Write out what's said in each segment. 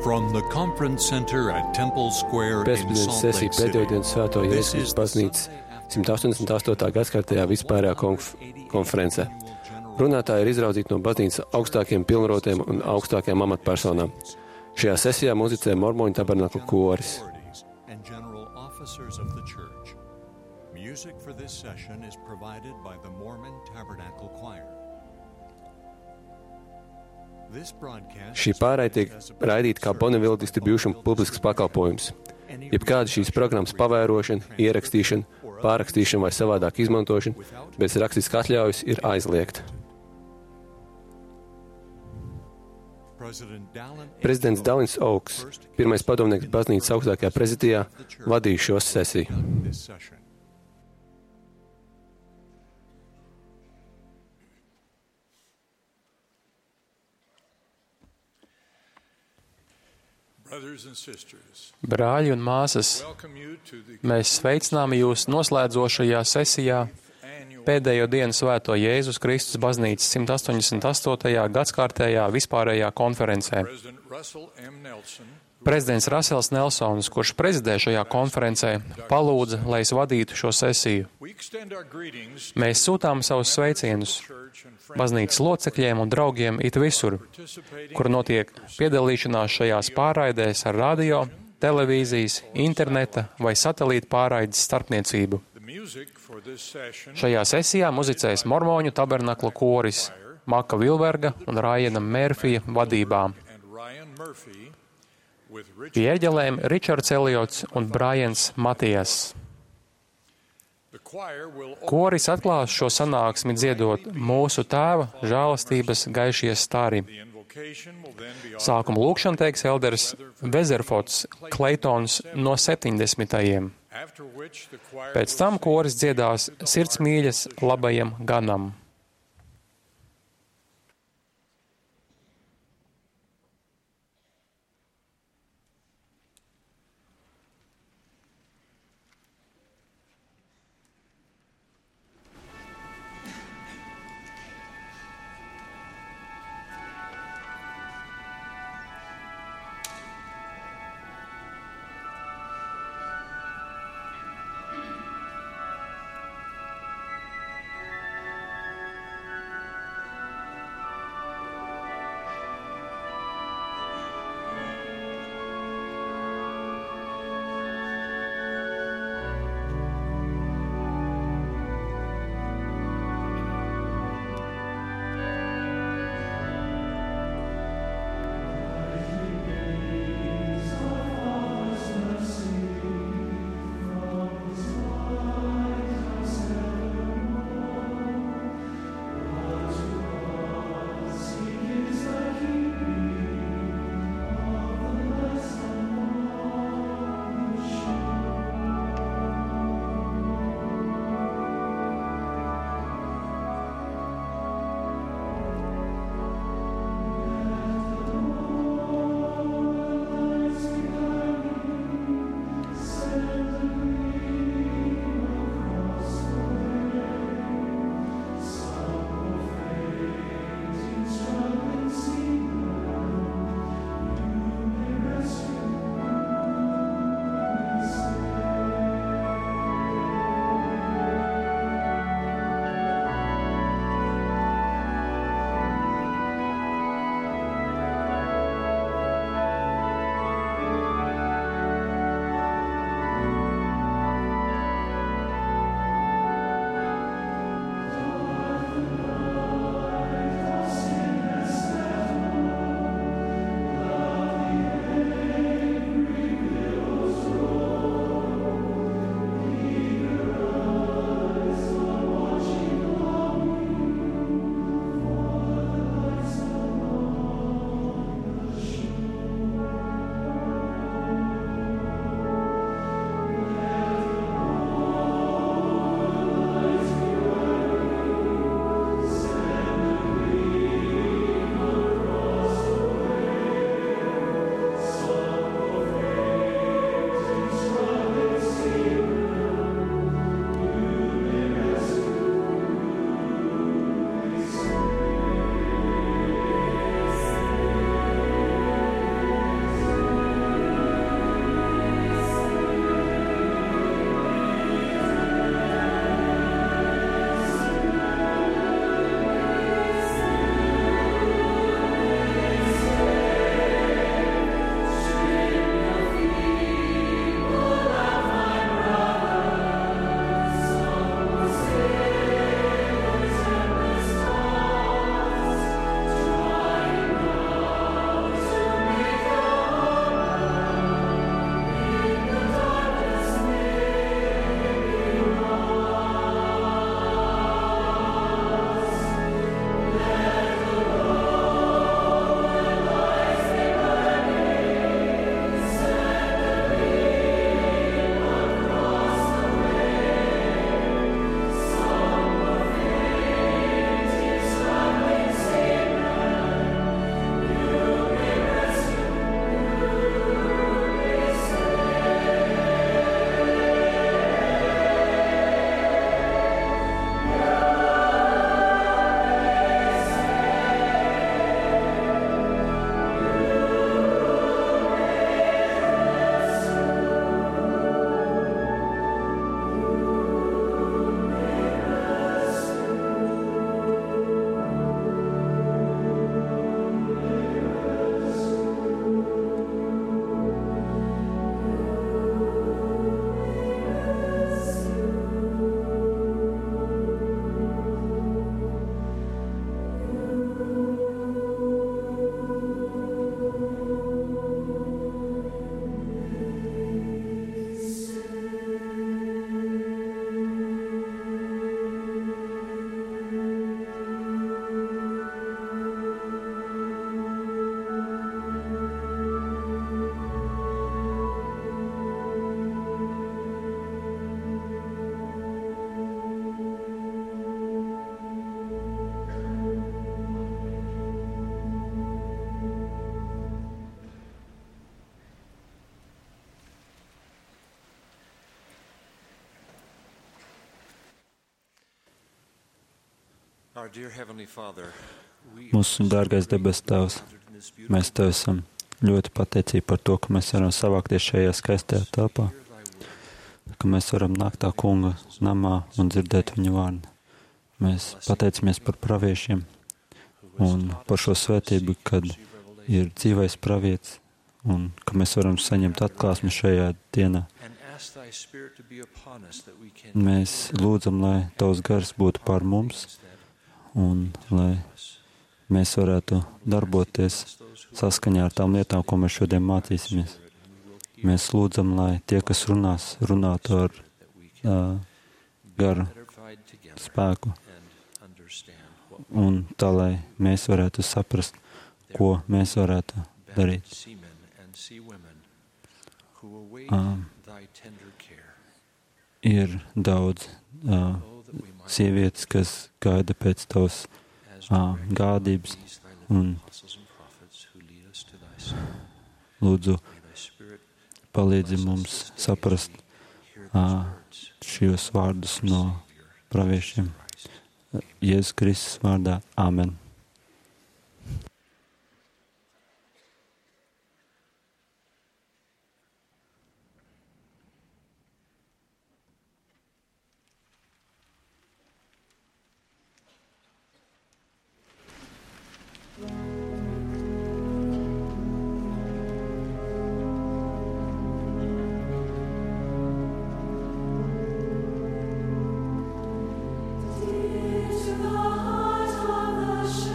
From the conference center at Temple Square in Pēcpusdienas Salt sesija Lake City. pēdējo dienu Svēto Jēzus baznīcas 188. gadskārtējā vispārējā konferencē. Runātāji ir izraudzīti no baznīcas augstākiem pilnvarotiem un augstākajām amatpersonām. Šajā sesijā muzicē Mormoņu tabernaklu koris. Music for this session is provided by the Mormon Tabernacle Choir. Šī pārraide tiek raidīta kā Bonneville Distribution publisks pakalpojums. Jebkāda šīs programmas pavērošana, ierakstīšana, pārrakstīšana vai savādāk izmantošana bez rakstiskas atļaujas ir aizliegta. Prezidents Dallins Oaks, pirmais padomnieks baznīcas augstākajā prezidijā, vadīja šo sesiju. Brāļi un māsas, mēs sveicinām jūs noslēdzošajā sesijā pēdējo dienu Svēto Jēzus Kristus baznīcas 188. gadskārtējā vispārējā konferencē. Prezidents Rasels Nelsons, kurš prezidē šajā konferencē, palūdza, lai es vadītu šo sesiju. Mēs sūtām savus sveicienus baznīcas locekļiem un draugiem it visur, kur notiek piedalīšanās šajās pārraidēs ar radio, televīzijas, interneta vai satelīta pārraides starpniecību. Šajā sesijā muzicēs Mormoņu tabernakla koris Maka Vilberga un Rājana Mērfija vadībā. Pie ērģelēm Ričards Eliots un Brajans Matijas. Koris atklās šo sanāksmi dziedot Mūsu Tēva žēlastības gaišie stari. Sākuma lūkšanu teiks elders Vezerfots Kleitons no 70. Pēc tam koris dziedās Sirdsmīļas labajam ganam. Mūsu dārgais debes Tēvs, mēs Tev esam ļoti pateicīgi par to, ka mēs varam savākties šajā skaistajā telpā, ka mēs varam nākt tā kunga namā un dzirdēt viņa vārdu. Mēs pateicamies par praviešiem un par šo svētību, kad ir dzīvais pravietis un ka mēs varam saņemt atklāsmi šajā dienā. Mēs lūdzam, lai Tavs gars būtu pār mums un lai mēs varētu darboties saskaņā ar tām lietām, ko mēs šodien mācīsimies. Mēs lūdzam, lai tie, kas runātu ar garu spēku un tā, lai mēs varētu saprast, ko mēs varētu darīt. Ir daudz sievietes, kas gaida pēc Tavas gādības un lūdzu palīdzi mums saprast šos vārdus no praviešiem. Jēzus Kristus vārdā. Āmen. To the heart of the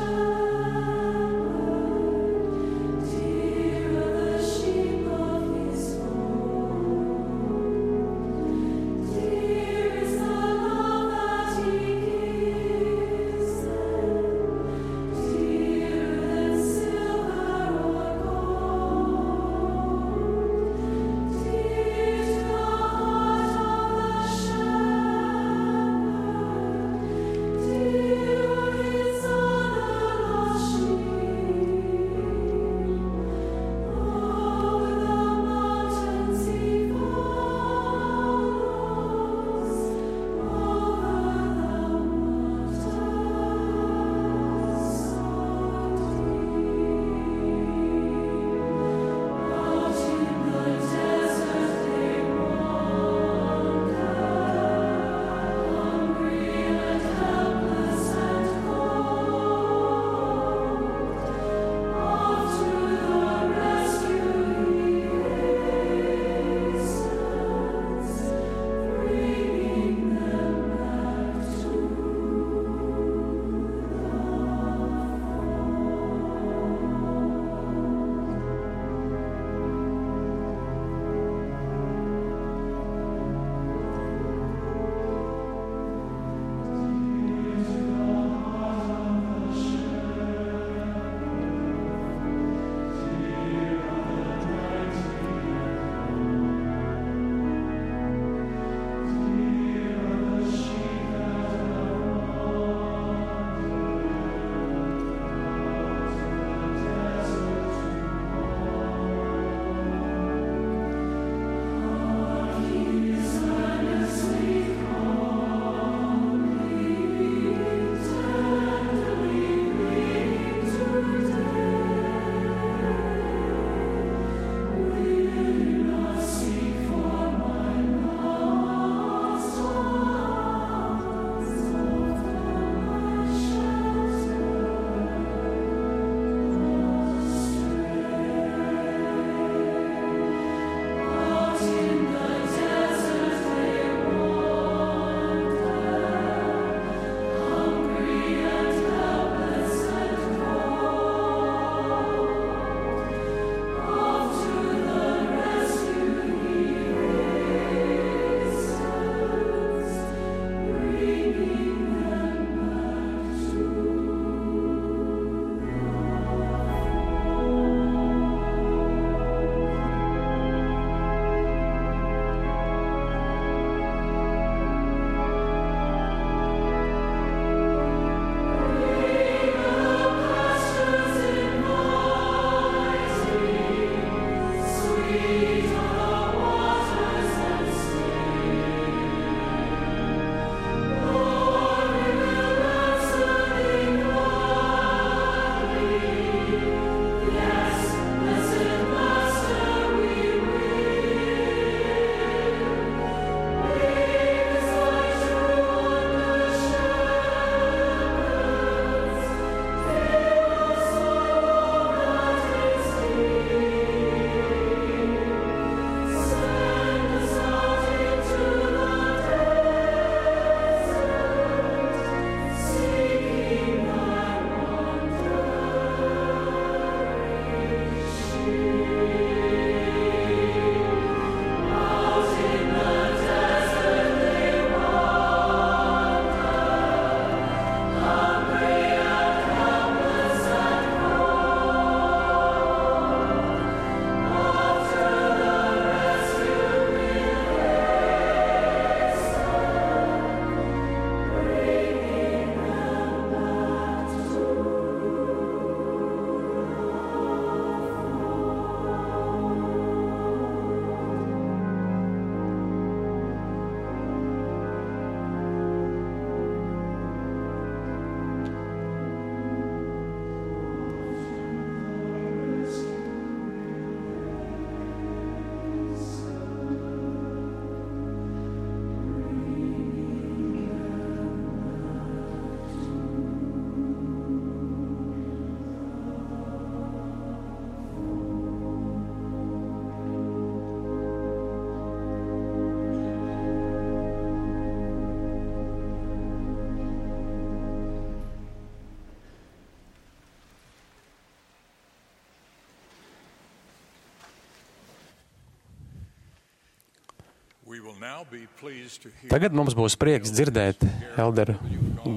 Tagad mums būs prieks dzirdēt elderu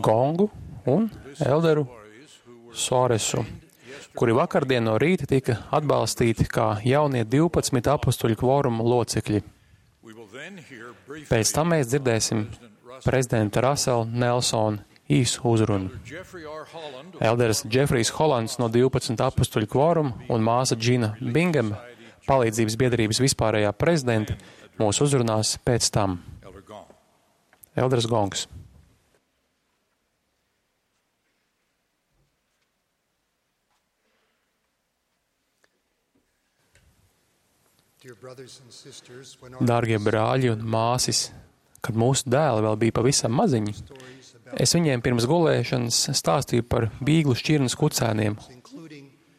Gongu un elderu Soresu, kuri vakardien no rīta tika atbalstīti kā jaunie 12 apostuļu kvoruma locekļi. Pēc tam mēs dzirdēsim prezidenta Rasela Nelsona īsu uzrunu. Elderis Džefrijs Holands no 12 apostuļu kvoruma un māsa Džina Bingema, palīdzības biedrības vispārējā prezidenta, mūs uzrunās pēc tam. Elderis Gongs. Dārgie brāļi un māsis, kad mūsu dēli vēl bija pavisam maziņi, es viņiem pirms gulēšanas stāstīju par bīglu šķirnes kucēniem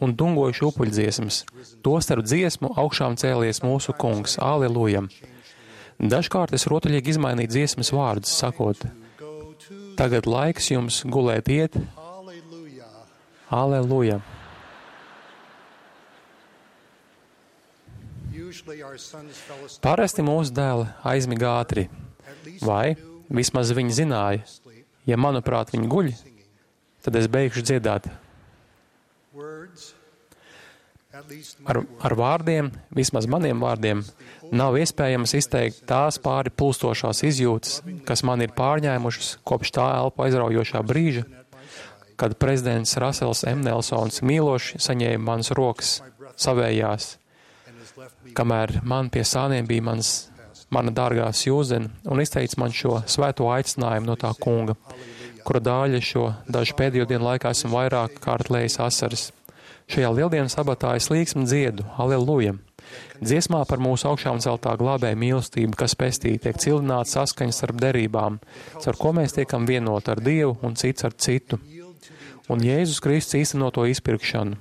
un dungojušu upuļdziesmas. Tostarp dziesmu augšām cēlies mūsu kungs, aleluja. Dažkārt es rotaļīgi izmainīju dziesmas vārdus, sakot, tagad laiks jums gulēt iet, aleluja. Parasti mūsu dēli aizmiga ātri, vai vismaz viņi zināja, ja manuprāt viņi guļ, tad es beigšu dziedāt. Ar vārdiem, vismaz maniem vārdiem, nav iespējams izteikt tās pāri pulstošās izjūtas, kas man ir pārņēmušas kopš tā elpu aizraujošā brīža, kad prezidents Rasels M. Nelsons mīloši saņēma manas rokas savējās, kamēr man pie sāniem bija mana dārgā Sjūzena un izteica man šo svēto aicinājumu no tā kunga, kura dāļa šo dažu pēdējo dienu laikā esmu vairāk kārt lējis asaras. Šajā lieldienas sabatā es līksmi dziedu, aleluja. Dziesmā par mūsu augšām celtā glābēja mīlestību, kas pestī, tiek cildināts saskaņas starp derībām, caur ko mēs tiekam vienot ar Dievu un cits ar citu. Un Jēzus Kristus īstenoto izpirkšanu,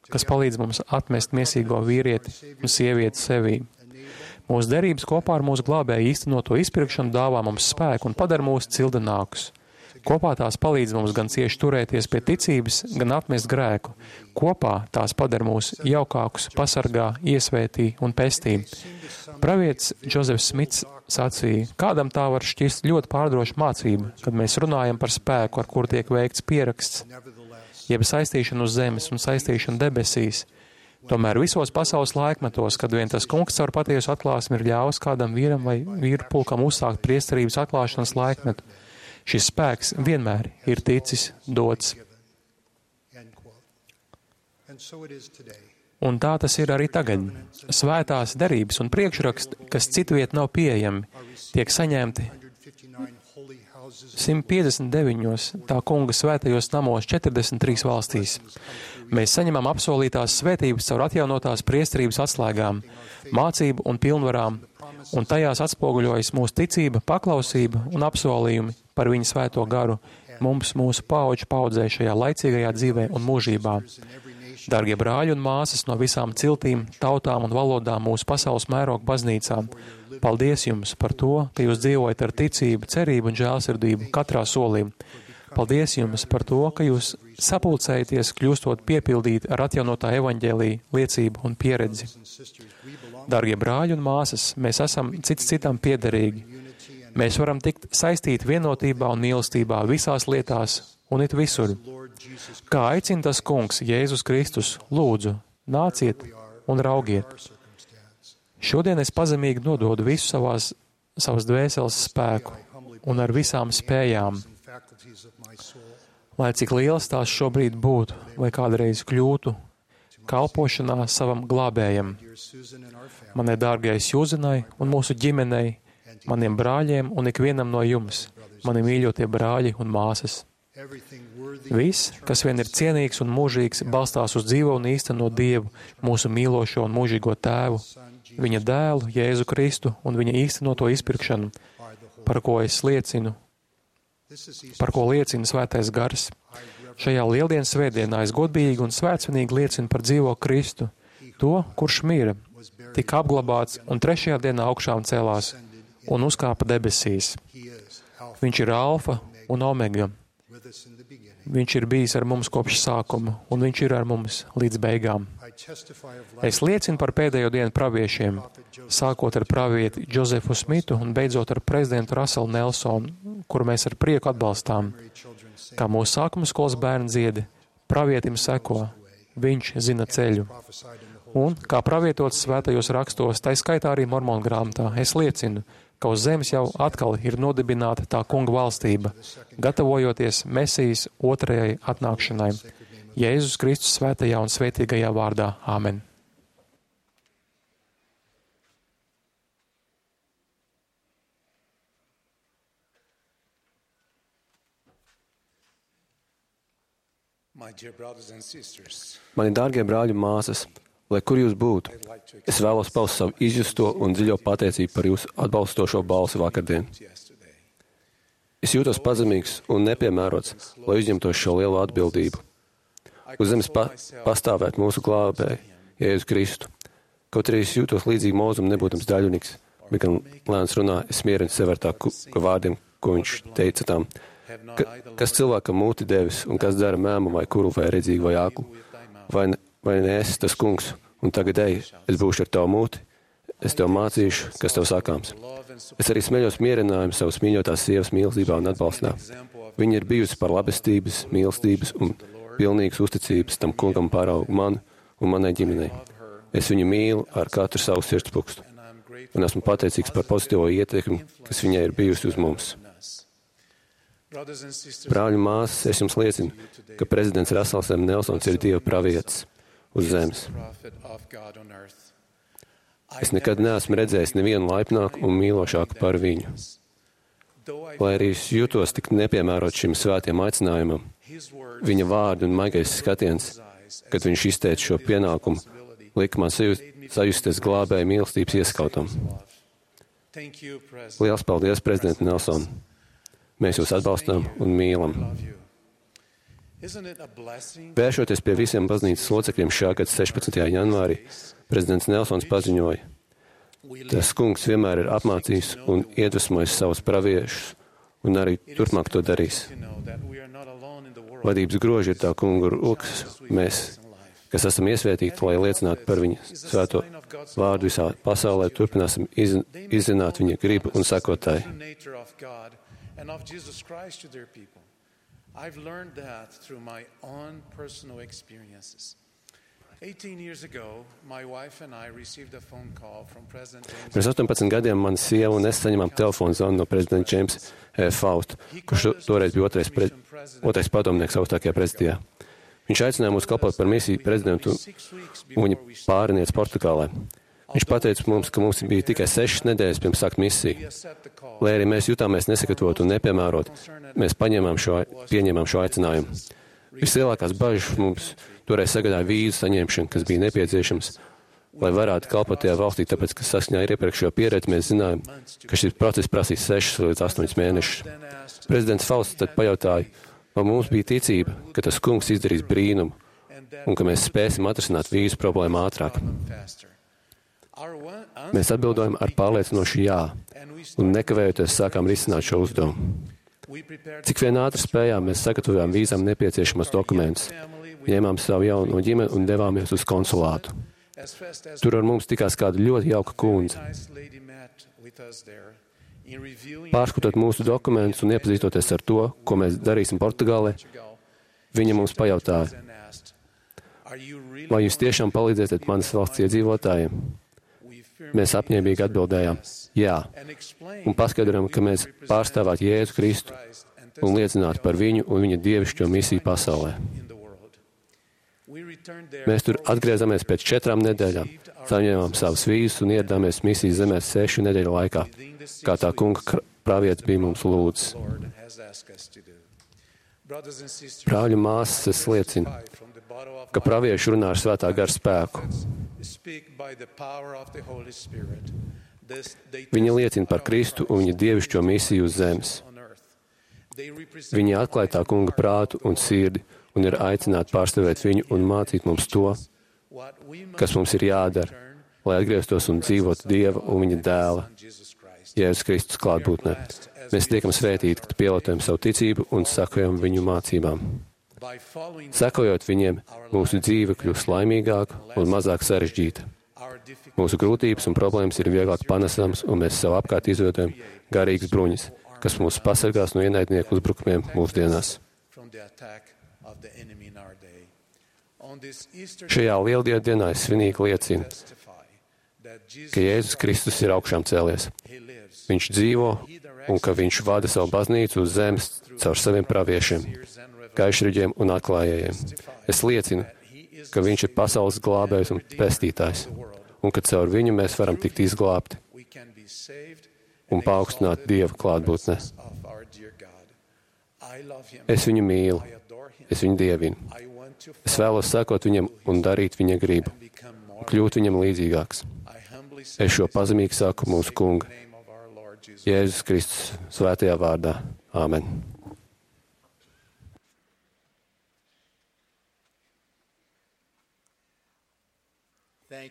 kas palīdz mums atmest miesīgo vīrieti un sievieti sevī. Mūsu derības kopā ar mūsu glābēju īstenoto izpirkšanu dāvā mums spēku un padara mūs cildinākus. Kopā tās palīdz mums gan cieši turēties pie ticības, gan atmest grēku. Kopā tās padara mūs jaukākus, pasargā, iesvētī un pestī. Pravietis Džozefs Smits sacīja, kādam tā var šķist ļoti pārdroša mācība, kad mēs runājam par spēku, ar kuru tiek veikts pieraksts, jeb saistīšana uz zemes un saistīšana debesīs. Tomēr visos pasaules laikmetos, kad vien tas kungs caur patiesu atklāsmi ir ļāvis kādam vīram vai vīru pulkam uzsākt priesterības atklāšanas laikmetu, šis spēks vienmēr ir ticis dots. Un tā tas ir arī tagad. Svētās derības un priekšraksti, kas citviet nav pieejami, tiek saņemti 159 tā kunga svētajos namos 43 valstīs. Mēs saņemam apsolītās svētības caur atjaunotās priesterības atslēgām, mācību un pilnvarām, un tajās atspoguļojas mūsu ticība, paklausība un apsolījumi par viņa svēto garu mums mūsu paudžu paudzē šajā laicīgajā dzīvē un mūžībā. Dargie brāļi un māsas no visām ciltīm, tautām un valodām mūsu pasaules mēroga baznīcām, paldies jums par to, ka jūs dzīvojat ar ticību, cerību un žēlsirdību katrā solī. Paldies jums par to, ka jūs sapulcējaties, kļūstot piepildīti ar atjaunotā evaņģēlija liecību un pieredzi. Dargie brāļi un māsas, mēs esam cits citam piederīgi. Mēs varam tikt saistīti vienotībā un mīlestībā visās lietās un it visur. Kā aicina tas kungs, Jēzus Kristus, lūdzu, nāciet un raugiet. Šodien es pazemīgi nododu visu savas dvēseles spēku un ar visām spējām, lai cik liels tās šobrīd būtu vai kādreiz kļūtu, kalpošanā savam glābējam, manai dārgajai Sjūzenai un mūsu ģimenei, maniem brāļiem un ikvienam no jums, mani mīļotie brāļi un māsas. Viss, kas vien ir cienīgs un mūžīgs, balstās uz dzīvo un īsteno Dievu, mūsu mīlošo un mūžīgo Tēvu, viņa dēlu, Jēzu Kristu un viņa īstenoto izpirkšanu, par ko liecina svētais gars. Šajā lieldienas svētdienā es godīgi un svētsvinīgi liecinu par dzīvo Kristu, to, kurš mira, tika apglabāts un 3. dienā augšām celās un uzkāpa debesīs. Viņš ir alfa un omega, Viņš ir bijis ar mums kopš sākuma, un viņš ir ar mums līdz beigām. Es liecinu par pēdējo dienu praviešiem, sākot ar pravieti Džozefu Smitu un beidzot ar prezidentu Russellu Nelsonu, kuru mēs ar prieku atbalstām. Kā mūsu sākuma skolas bērni dziedi, pravietim seko, viņš zina ceļu. Un, kā pravietots svētajos rakstos, tai skaitā arī Mormonu grāmatā, es liecinu, ka uz zemes jau atkal ir nodibināta tā kunga valstība, gatavojoties Mesijas otrajai atnākšanai. Jēzus Kristus svētajā un svētīgajā vārdā. Āmen. Mani dārgie brāļi un māsas, lai kur jūs būtu, es vēlos paust savu izjusto un dziļo pateicību par jūsu atbalstošo balsi vakardien. Es jūtos pazemīgs un nepiemērots, lai uzņemtos šo lielo atbildību. Uz zemes pastāvēt mūsu glābēju, Jēzu Kristu. Kaut arī es jūtos līdzīgi Mozum nebūtams daļunīgs, bet gan lēns runā, es mierinu sevi ar tā vārdiem, ko viņš teica tām. Kas cilvēkam mūti devis un kas dara mēmu vai kuru vai redzīgu vai aklu? Vai ne esi tas kungs? Un tagad ej, es būšu ar tavu mūti, es tev mācīšu, kas tev sakāms. Es arī smeļos mierinājumu savas mīļotās sievas mīlestībā un atbalstā. Viņa ir bijusi par labestības, mīlestības un pilnīgas uzticības tam kungam paraugu man un manai ģimenei. Es viņu mīlu ar katru savu sirdspukstu un esmu pateicīgs par pozitīvo ietekmi, kas viņai ir bijusi uz mums. Brāļi un māsas, es jums liecinu, ka prezidents Russells Nelsons ir Dieva pravietis uz zemes. Es nekad neesmu redzējis nevienu laipnāku un mīlošāku par viņu. Lai arī es jūtos tik nepiemērot šim svētiem aicinājumam, viņa vārdi un maigais skatiens, kad viņš izteica šo pienākumu, lika man sajusties glābēja mīlestības ieskautam. Liels paldies, prezident Nelson! Mēs jūs atbalstām un mīlam. Vēršoties pie visiem baznīcas locekļiem šā gada 16. janvārī, prezidents Nelsons paziņoja, tas kungs vienmēr ir apmācījis un iedvesmojis savus praviešus, un arī turpmāk to darīs. Vadības groži ir tā kunga rokas, mēs, kas esam iesvētīti, lai liecinātu par viņa svēto vārdu visā pasaulē, turpināsim izzināt viņa gribu un sekotāju. And of Jesus Christ to their people. I've learned that through my own personal experiences. 18 years ago, my wife and I received a phone call from President James. Pirms 18 gadiem mana sieva un es saņemām telefonu zvanu no prezidenta James Fausta, kurš toreiz bija otrais padomnieks augstākajā prezidijā. Viņš aicināja mūs kalpot par misiju prezidentu un viņa pāriniec Portugālē. Viņš pateica mums, ka mums bija tikai 6 nedēļas pirms sākt misiju. Lai arī mēs jutāmies nesagatavot un nepiemērot, mēs pieņēmām šo aicinājumu. Vislielākās bažas mums toreiz sagādāja vīzu saņemšanu, kas bija nepieciešams, lai varētu kalpot tajā valstī, tāpēc, ka saskaņā ar iepriekšējo pieredzi mēs zinājām, ka šis process prasīs 6 līdz 8 mēnešus. Prezidents Fausts tad pajautāja, vai mums bija ticība, ka tas kungs izdarīs brīnumu un ka mēs spēsim atrisināt vīzu problēmu ātrāk. Mēs atbildojam ar pārliecinošu jā, un nekavējoties sākām risināt šo uzdevumu. Cik vien ātri spējām, mēs sagatavojām vīzām nepieciešamos dokumentus, ņēmām savu jauno ģimeni un devāmies uz konsulātu. Tur ar mums tikās kāda ļoti jauka kundze. Pārskatot mūsu dokumentus un iepazīstoties ar to, ko mēs darīsim Portugālē, viņa mums pajautāja, vai jūs tiešām palīdzēsiet manas valsts iedzīvotājiem? Mēs apņēmīgi atbildējām, jā, un paskaidrojam, ka mēs pārstāvētu Jēzu Kristu un liecinātu par viņu un viņa dievišķo misiju pasaulē. Mēs tur atgriezāmies pēc 4 nedēļām, saņēmām savas vīzas un ieradāmies misijas zemē 6 nedēļu laikā, kā tā kunga pravietis bija mums lūdzis. Brāļu māsas, es liecinu, ka pravieši runā ar svētā gara spēku. Viņi liecina par Kristu un viņa dievišķo misiju uz zemes. Viņi atklāja tā kunga prātu un sirdi un ir aicināti pārstāvēt viņu un mācīt mums to, kas mums ir jādara, lai atgrieztos un dzīvotu Dieva un viņa dēla, Jēzus Kristus klātbūtnē. Mēs tiekam svētīti, kad pielietojam savu ticību un sakojam viņu mācībām. Sekojot viņiem, mūsu dzīve kļūst laimīgāka un mazāk sarežģīta. Mūsu grūtības un problēmas ir vieglāk panesamas, un mēs sev apkārt izveidojam garīgas bruņas, kas mūs pasargās no ienaidnieku uzbrukumiem mūsdienās. Šajā lieldienu dienā es svinīgi liecinu, ka Jēzus Kristus ir augšām cēlies. Viņš dzīvo un ka viņš vada savu baznīcu uz zemes caur saviem praviešiem, gaišreģiem un atklājējiem. Es liecinu, ka viņš ir pasaules glābējs un pestītājs, un ka caur viņu mēs varam tikt izglābti un paaugstināt Dieva klātbūtnē. Es viņu mīlu, es viņu dievinu. Es vēlos sekot viņam un darīt viņa gribu, un kļūt viņam līdzīgāks. Es šo pazemīgi saku mūsu Kunga, Jēzus Kristus svētajā vārdā. Āmen.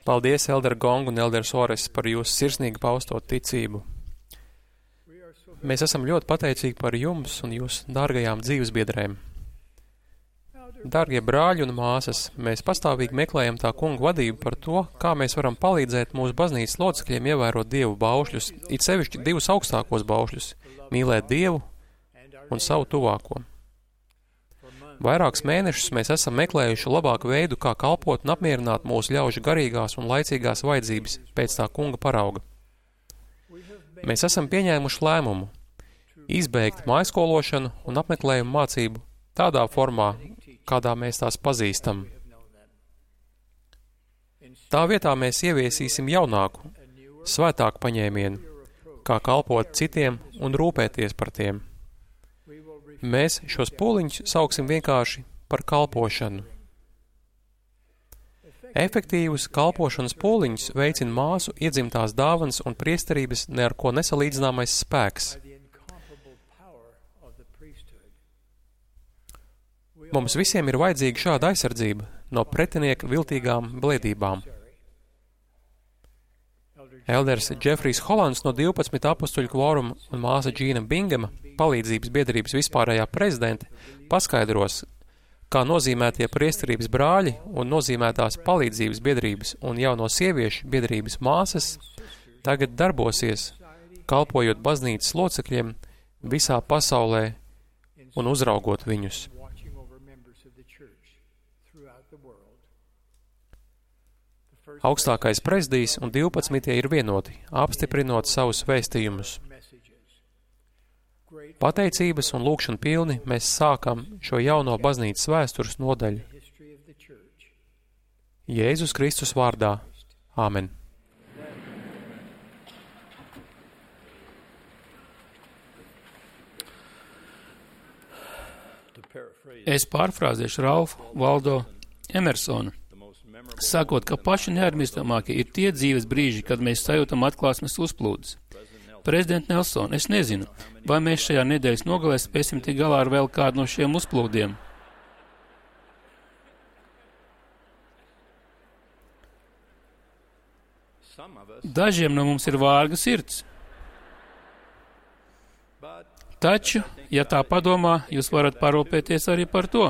Paldies, Elder Gong un Elder Sores, par jūsu sirsnīgi pausto ticību. Mēs esam ļoti pateicīgi par jums un jūsu dārgajām dzīvesbiedrēm. Dārgie brāļi un māsas, mēs pastāvīgi meklējam tā Kunga vadību par to, kā mēs varam palīdzēt mūsu baznīcas locekļiem ievērot Dievu baušļus, it sevišķi divus augstākos baušļus – mīlēt Dievu un savu tuvāko. Vairākus mēnešus mēs esam meklējuši labāku veidu, kā kalpot un apmierināt mūsu ļaužu garīgās un laicīgās vajadzības pēc tā Kunga parauga. Mēs esam pieņēmuši lēmumu izbeigt mājskološanu un apmeklējumu mācību tādā formā, kādā mēs tās pazīstam. Tā vietā mēs ieviesīsim jaunāku, svētāku paņēmienu, kā kalpot citiem un rūpēties par tiem. Mēs šos pūliņus sauksim vienkārši par kalpošanu. Efektīvus kalpošanas pūliņus veicina māsu iedzimtās dāvanas un priesterības ne ar ko nesalīdzināmais spēks. Mums visiem ir vajadzīga šāda aizsardzība no pretinieka viltīgām blēdībām. Elders Džefrijs Holands no 12 apustuļu kvoruma un māsa Džīna Bingema, palīdzības biedrības vispārējā prezidente, paskaidros, kā nozīmētie priesterības brāļi un nozīmētās palīdzības biedrības un jauno sieviešu biedrības māsas tagad darbosies, kalpojot baznīcas locekļiem visā pasaulē un uzraugot viņus. Augstākais prezidijs un 12 ir vienoti, apstiprinot savus vēstījumus. Pateicības un lūgšanu pilni mēs sākam šo jauno baznīcas vēstures nodaļu. Jēzus Kristus vārdā. Āmen. Es pārfrāzēšu Ralfu Waldo Emersonu, sakot, ka paši neaizmirstamākie ir tie dzīves brīži, kad mēs sajūtam atklāsmes uzplūdes. Prezident Nelson, es nezinu, vai mēs šajā nedēļas nogalē spēsim tikt galā ar vēl kādu no šiem uzplūdiem. Dažiem no mums ir vārga sirds. Taču, ja tā padomā, jūs varat parūpēties arī par to.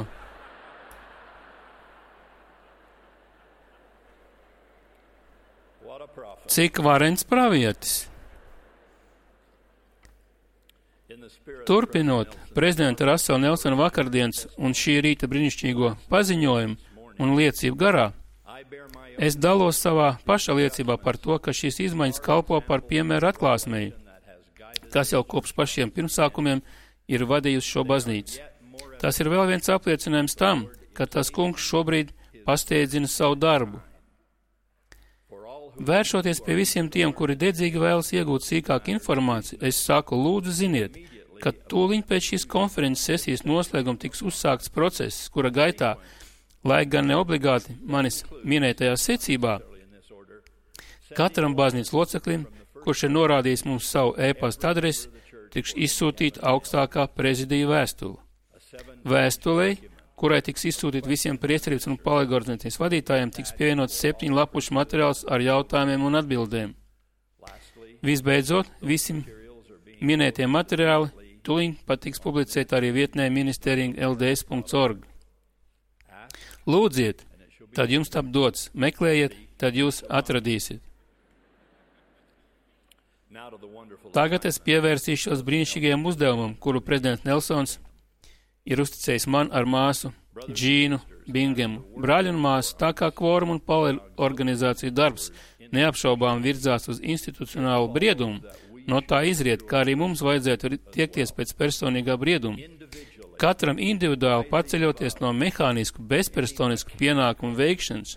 Cik varens pravietis. Turpinot prezidenta Rasela Nelsona vakardienas un šī rīta brīnišķīgo paziņojumu un liecību garā, es dalos savā paša liecībā par to, ka šīs izmaiņas kalpo par piemēru atklāsmēji, kas jau kopš pašiem pirmsākumiem ir vadījusi šo baznīcu. Tas ir vēl viens apliecinājums tam, ka tas Kungs šobrīd pasteidzina savu darbu. Vēršoties pie visiem tiem, kuri dedzīgi vēlas iegūt sīkāku informāciju, es saku, lūdzu ziniet, ka tūliņ pēc šīs konferences sesijas noslēguma tiks uzsākts process, kura gaitā, lai gan neobligāti manis minētajā secībā, katram baznīcas loceklim, kurš ir norādījis mums savu e-pasta adresi, tiks izsūtīta augstākā prezidija vēstule. Vēstulei, kurai tiks izsūtīt visiem priesterības un palīgorganizācijas vadītājiem, tiks pievienots 7 lapušu materiāls ar jautājumiem un atbildēm. Visbeidzot, visi Minētie materiāli tūlīt pat tiks publicēti arī vietnē ministering.lds.org. Lūdziet, tad jums tap dots, meklējiet, tad jūs atradīsiet. Tagad es pievērsīšos brīnišķīgajam uzdevumam, kuru prezidents Nelsons ir uzticējis man ar māsu Džīnu Bingemu. Brāļi un māsu, tā kā kvorum un organizāciju darbs neapšaubām virzās uz institucionālu briedumu, no tā izriet, kā arī mums vajadzētu tiekties pēc personīgā brieduma. Katram individuāli paceļoties no mehānisku, bezpersonisku pienākumu veikšanas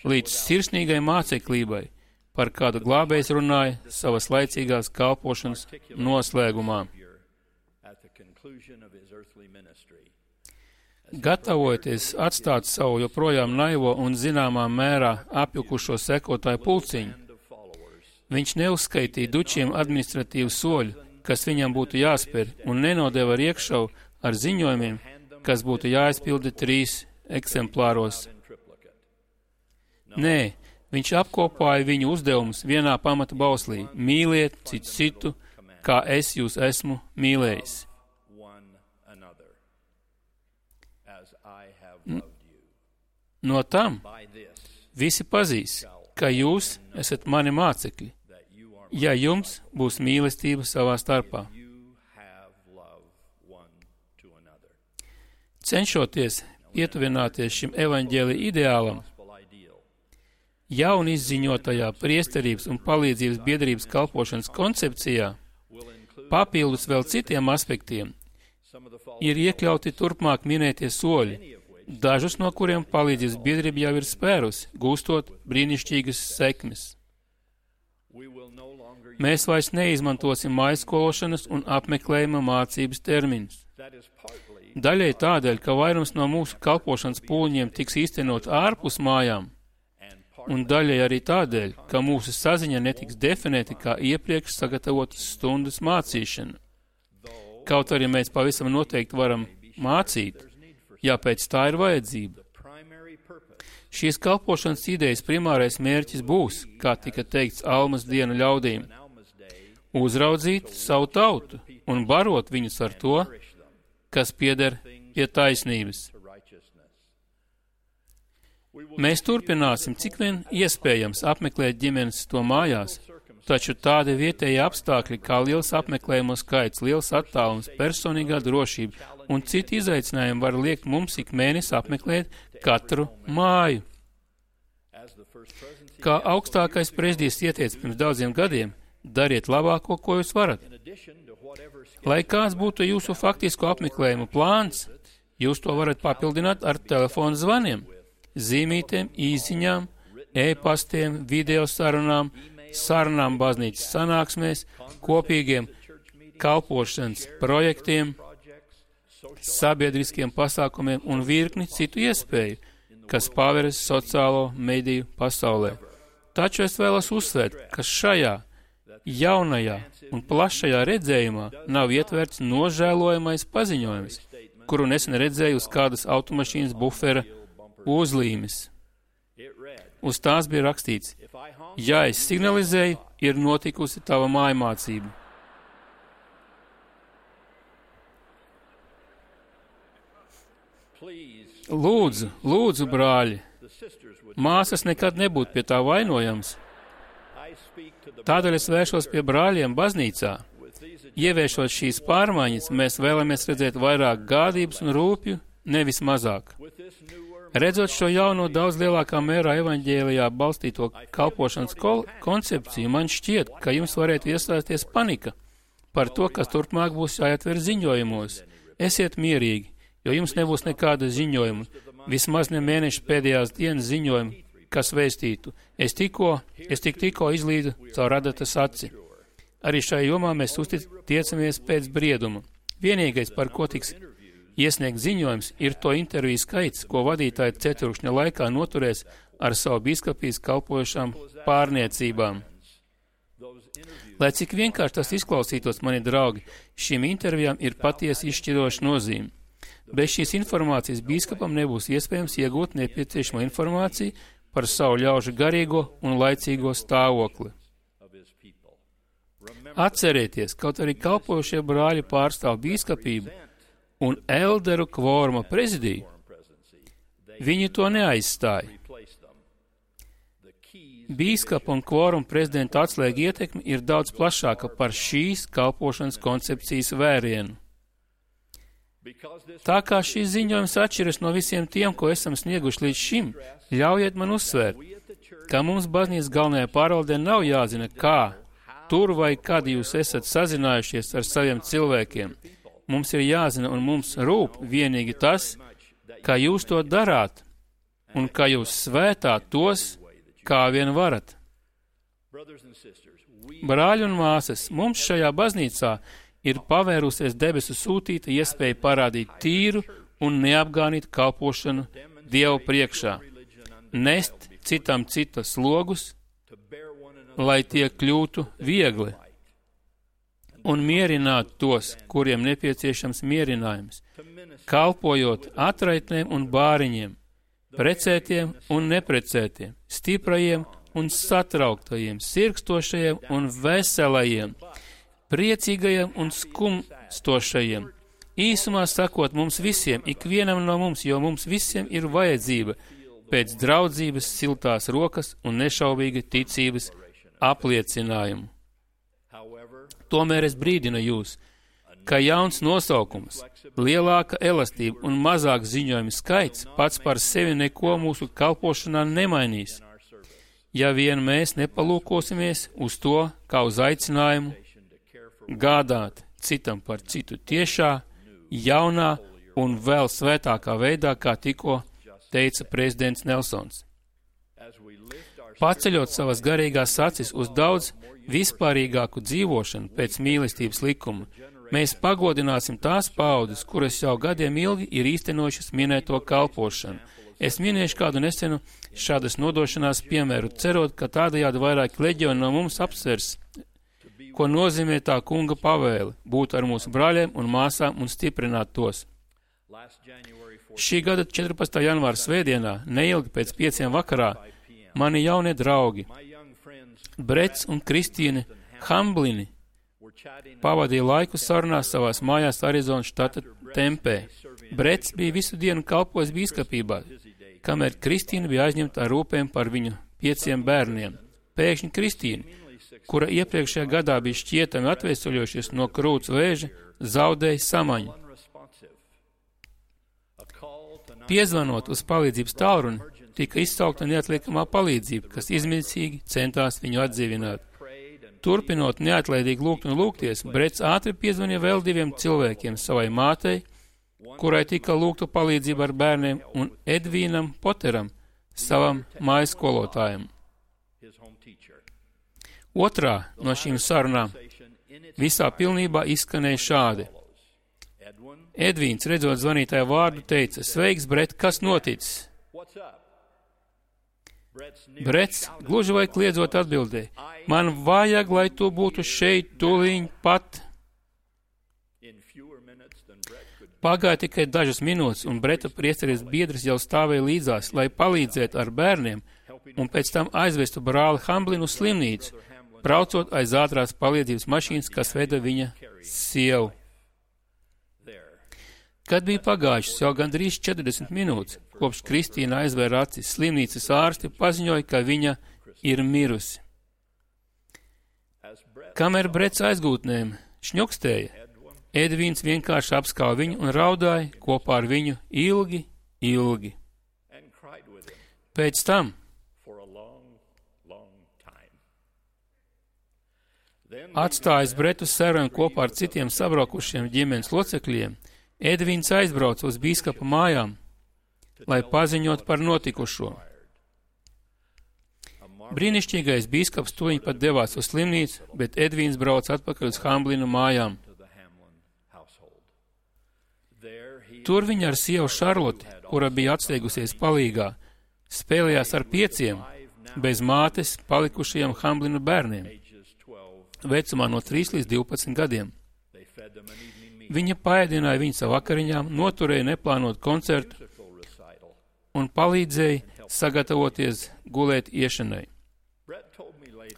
līdz sirsnīgai māceklībai, par kādu glābējs runāja savas laicīgās kalpošanas noslēgumā. Gatavojoties atstāt savu joprojām naivo un zināmā mērā apjukušo sekotāju pulciņu, viņš neuzskaitīja dučiem administratīvu soļu, kas viņam būtu jāspēr, un nenodeva riekšavu ar ziņojumiem, kas būtu jāizpilda 3 eksemplāros. Nē, viņš apkopāja viņu uzdevumus vienā pamata bauslī – mīliet citu, kā es jūs esmu mīlējis. No tam visi pazīs, ka jūs esat mani mācekļi, ja jums būs mīlestība savā starpā. Cenšoties pietuvināties šim evaņģēlija ideālam, jaun izziņotajā priesterības un palīdzības biedrības kalpošanas koncepcijā, papildus vēl citiem aspektiem, ir iekļauti turpmāk minētie soļi, dažus no kuriem palīdzības biedrība jau ir spērusi, gūstot brīnišķīgas sekmes. Mēs vairs neizmantosim mājskološanas un apmeklējuma mācības terminus. Daļai tādēļ, ka vairums no mūsu kalpošanas pūliņiem tiks īstenot ārpus mājām, un daļai arī tādēļ, ka mūsu saziņa netiks definēta kā iepriekš sagatavotas stundas mācīšana. Kaut arī mēs pavisam noteikti varam mācīt, ja pēc tā ir vajadzība. Šīs kalpošanas idejas primārais mērķis būs, kā tika teikts Almas dienu ļaudīm, uzraudzīt savu tautu un barot viņus ar to, kas pieder pie taisnības. Mēs turpināsim, cik vien iespējams apmeklēt ģimenes to mājās, taču tādi vietēji apstākļi kā liels apmeklējumu skaits, liels attālums, personīgā drošība un citi izaicinājumi var liekt mums ik mēnesi apmeklēt katru māju. Kā augstākais prezidijs ieteica pirms daudziem gadiem, dariet labāko, ko jūs varat. Lai kāds būtu jūsu faktisko apmeklējumu plāns, jūs to varat papildināt ar telefonu zvaniem, zīmītēm, īsiņām, e-pastiem, video sarunām baznīcas sanāksmēs, kopīgiem kalpošanas projektiem, sabiedriskiem pasākumiem un virkni citu iespēju, kas paveras sociālo mediju pasaulē. Taču es vēlos uzsvērt, ka šajā jaunajā un plašajā redzējumā nav ietverts nožēlojamais paziņojums, kuru nesen redzēju uz kādas automašīnas bufera uzlīmes. Uz tās bija rakstīts: ja es signalizēju, ir notikusi tava mājmācība. Lūdzu, brāļi, māsas nekad nebūtu pie tā vainojams. Tādēļ es vēršos pie brāļiem baznīcā. Ieviešot šīs pārmaiņas, mēs vēlamies redzēt vairāk gādības un rūpju, nevis mazāk. Redzot šo jauno daudz lielākā mērā evaņģēlijā balstīto kalpošanas koncepciju, man šķiet, ka jums varētu iestāties panika par to, kas turpmāk būs jāietver ziņojumos. Esiet mierīgi, jo jums nebūs nekāda ziņojuma, vismaz ne mēneša pēdējās dienas ziņojuma, kas vēstītu: es tikko izlīdu caur radatas aci. Arī šajā jomā mēs tiecamies pēc brieduma. Vienīgais, par ko tiks iesniegt ziņojums, ir to interviju skaits, ko vadītāji ceturkšņa laikā noturēs ar savu biskupijas kalpojušām pārniecībām. Lai cik vienkārši tas izklausītos, mani draugi, šīm intervijām ir patiesi izšķiroša nozīme. Bez šīs informācijas biskupam nebūs iespējams iegūt nepieciešamo informāciju par savu ļaužu garīgo un laicīgo stāvokli. Atcerieties, kaut arī kalpojošie brāļi pārstāv bīskapību un elderu kvoruma prezidiju, viņi to neaizstāja. Bīskapa un kvoruma prezidenta atslēga ietekme ir daudz plašāka par šīs kalpošanas koncepcijas vērienu. Tā kā šīs ziņojums atšķiras no visiem tiem, ko esam snieguši līdz šim, ļaujiet man uzsvērt, ka mums baznīcas galvenajā pārvaldē nav jāzina, kā, tur vai kad jūs esat sazinājušies ar saviem cilvēkiem. Mums ir jāzina un mums rūp vienīgi tas, kā jūs to darāt un kā jūs svētāt tos, kā vien varat. Brāļi un māsas, mums šajā baznīcā ir pavērusies debesu sūtīta iespēja parādīt tīru un neapgānītu kalpošanu Dievu priekšā, nest citam citas slogus, lai tie kļūtu viegli, un mierināt tos, kuriem nepieciešams mierinājums, kalpojot atraitnēm un bāriņiem, precētiem un neprecētiem, stiprajiem un satrauktajiem, sirkstošajiem un veselajiem, priecīgajiem un skumstošajiem. Īsumā sakot, mums visiem, ikvienam no mums, jo mums visiem ir vajadzība pēc draudzības, siltās rokas un nešaubīga ticības apliecinājumu. Tomēr es brīdinu jūs, ka jauns nosaukums, lielāka elastība un mazāk ziņojumi skaits pats par sevi neko mūsu kalpošanā nemainīs, ja vien mēs nepalūkosimies uz to kā uz aicinājumu gādāt citam par citu tiešā, jaunā un vēl svētākā veidā, kā tikko teica prezidents Nelsons. Paceļot savas garīgās acis uz daudz vispārīgāku dzīvošanu pēc mīlestības likuma, mēs pagodināsim tās paaudzes, kuras jau gadiem ilgi ir īstenojušas minēto kalpošanu. Es minēšu kādu nesenu šādas nodošanās piemēru, cerot, ka tādējādi vairāk leģioni no mums apsvers, ko nozīmē tā kunga pavēle - būt ar mūsu brāļiem un māsām un stiprināt tos. Šī gada 14. janvāra svētdienā, neilgi pēc 5 vakarā, mani jaunie draugi, Brets un Kristīne Hamblini, pavadīja laiku sarunās savās mājās Arizonas štata Tempē. Brets bija visu dienu kalpojis bīskapībā, kamēr Kristīna bija aizņemta ar rūpēm par viņu 5 bērniem. Pēkšņi Kristīna, kura iepriekšējā gadā bija šķietami atveseļojušies no krūts vēža, zaudēja samaņu. Piezvanot uz palīdzības tālruni, tika izsaukta neatliekamā palīdzība, kas izmisīgi centās viņu atdzīvināt. Turpinot neatlaidīgi lūgt un lūgties, Brets ātri piezvanīja vēl 2 cilvēkiem, savai mātei, kurai tika lūgta palīdzība ar bērniem, un Edvīnam Poteram, savam mājas skolotājam. Otrā no šīm sarunām visā pilnībā izskanēja šādi. Edvīns, redzot zvanītāju vārdu, teica: Sveiks, Bret, kas noticis? Brets, gluži vai kliedzot atbildēja: Man vajag, lai tu būtu šeit tūlīt pat. Pagāja tikai dažas minūtes, un Breta priesteris biedrs jau stāvēja līdzās, lai palīdzētu ar bērniem, un pēc tam aizvestu brāli Hamblinu uz slimnīcu, braucot aiz ātrās palīdzības mašīnas, kas veda viņa sievu. Kad bija pagājušas jau gandrīz 40 minūtes, kopš Kristīna aizvēra acis, slimnīcas ārsti paziņoja, ka viņa ir mirusi. Kamēr Brets aizgūtnēm šņukstēja, Edvīns vienkārši apskauja viņu un raudāja kopā ar viņu ilgi, ilgi. Pēc tam atstājis Bretu sarunu kopā ar citiem sabraukušiem ģimenes locekļiem, Edvīns aizbrauca uz bīskapa mājām, lai paziņot par notikušo. Brīnišķīgais bīskaps tūliņ pat devās uz slimnīcu, bet Edvīns brauca atpakaļ uz Hamblinu mājām. Tur viņa ar sievu Šarloti, kura bija atsteigusies palīgā, spēlējās ar 5 bez mātes palikušajiem Hamblinu bērniem, vecumā no 3 līdz 12 gadiem. Viņa paēdināja viņus ar vakariņām, noturēja neplānot koncertu un palīdzēja sagatavoties gulēt iešanai.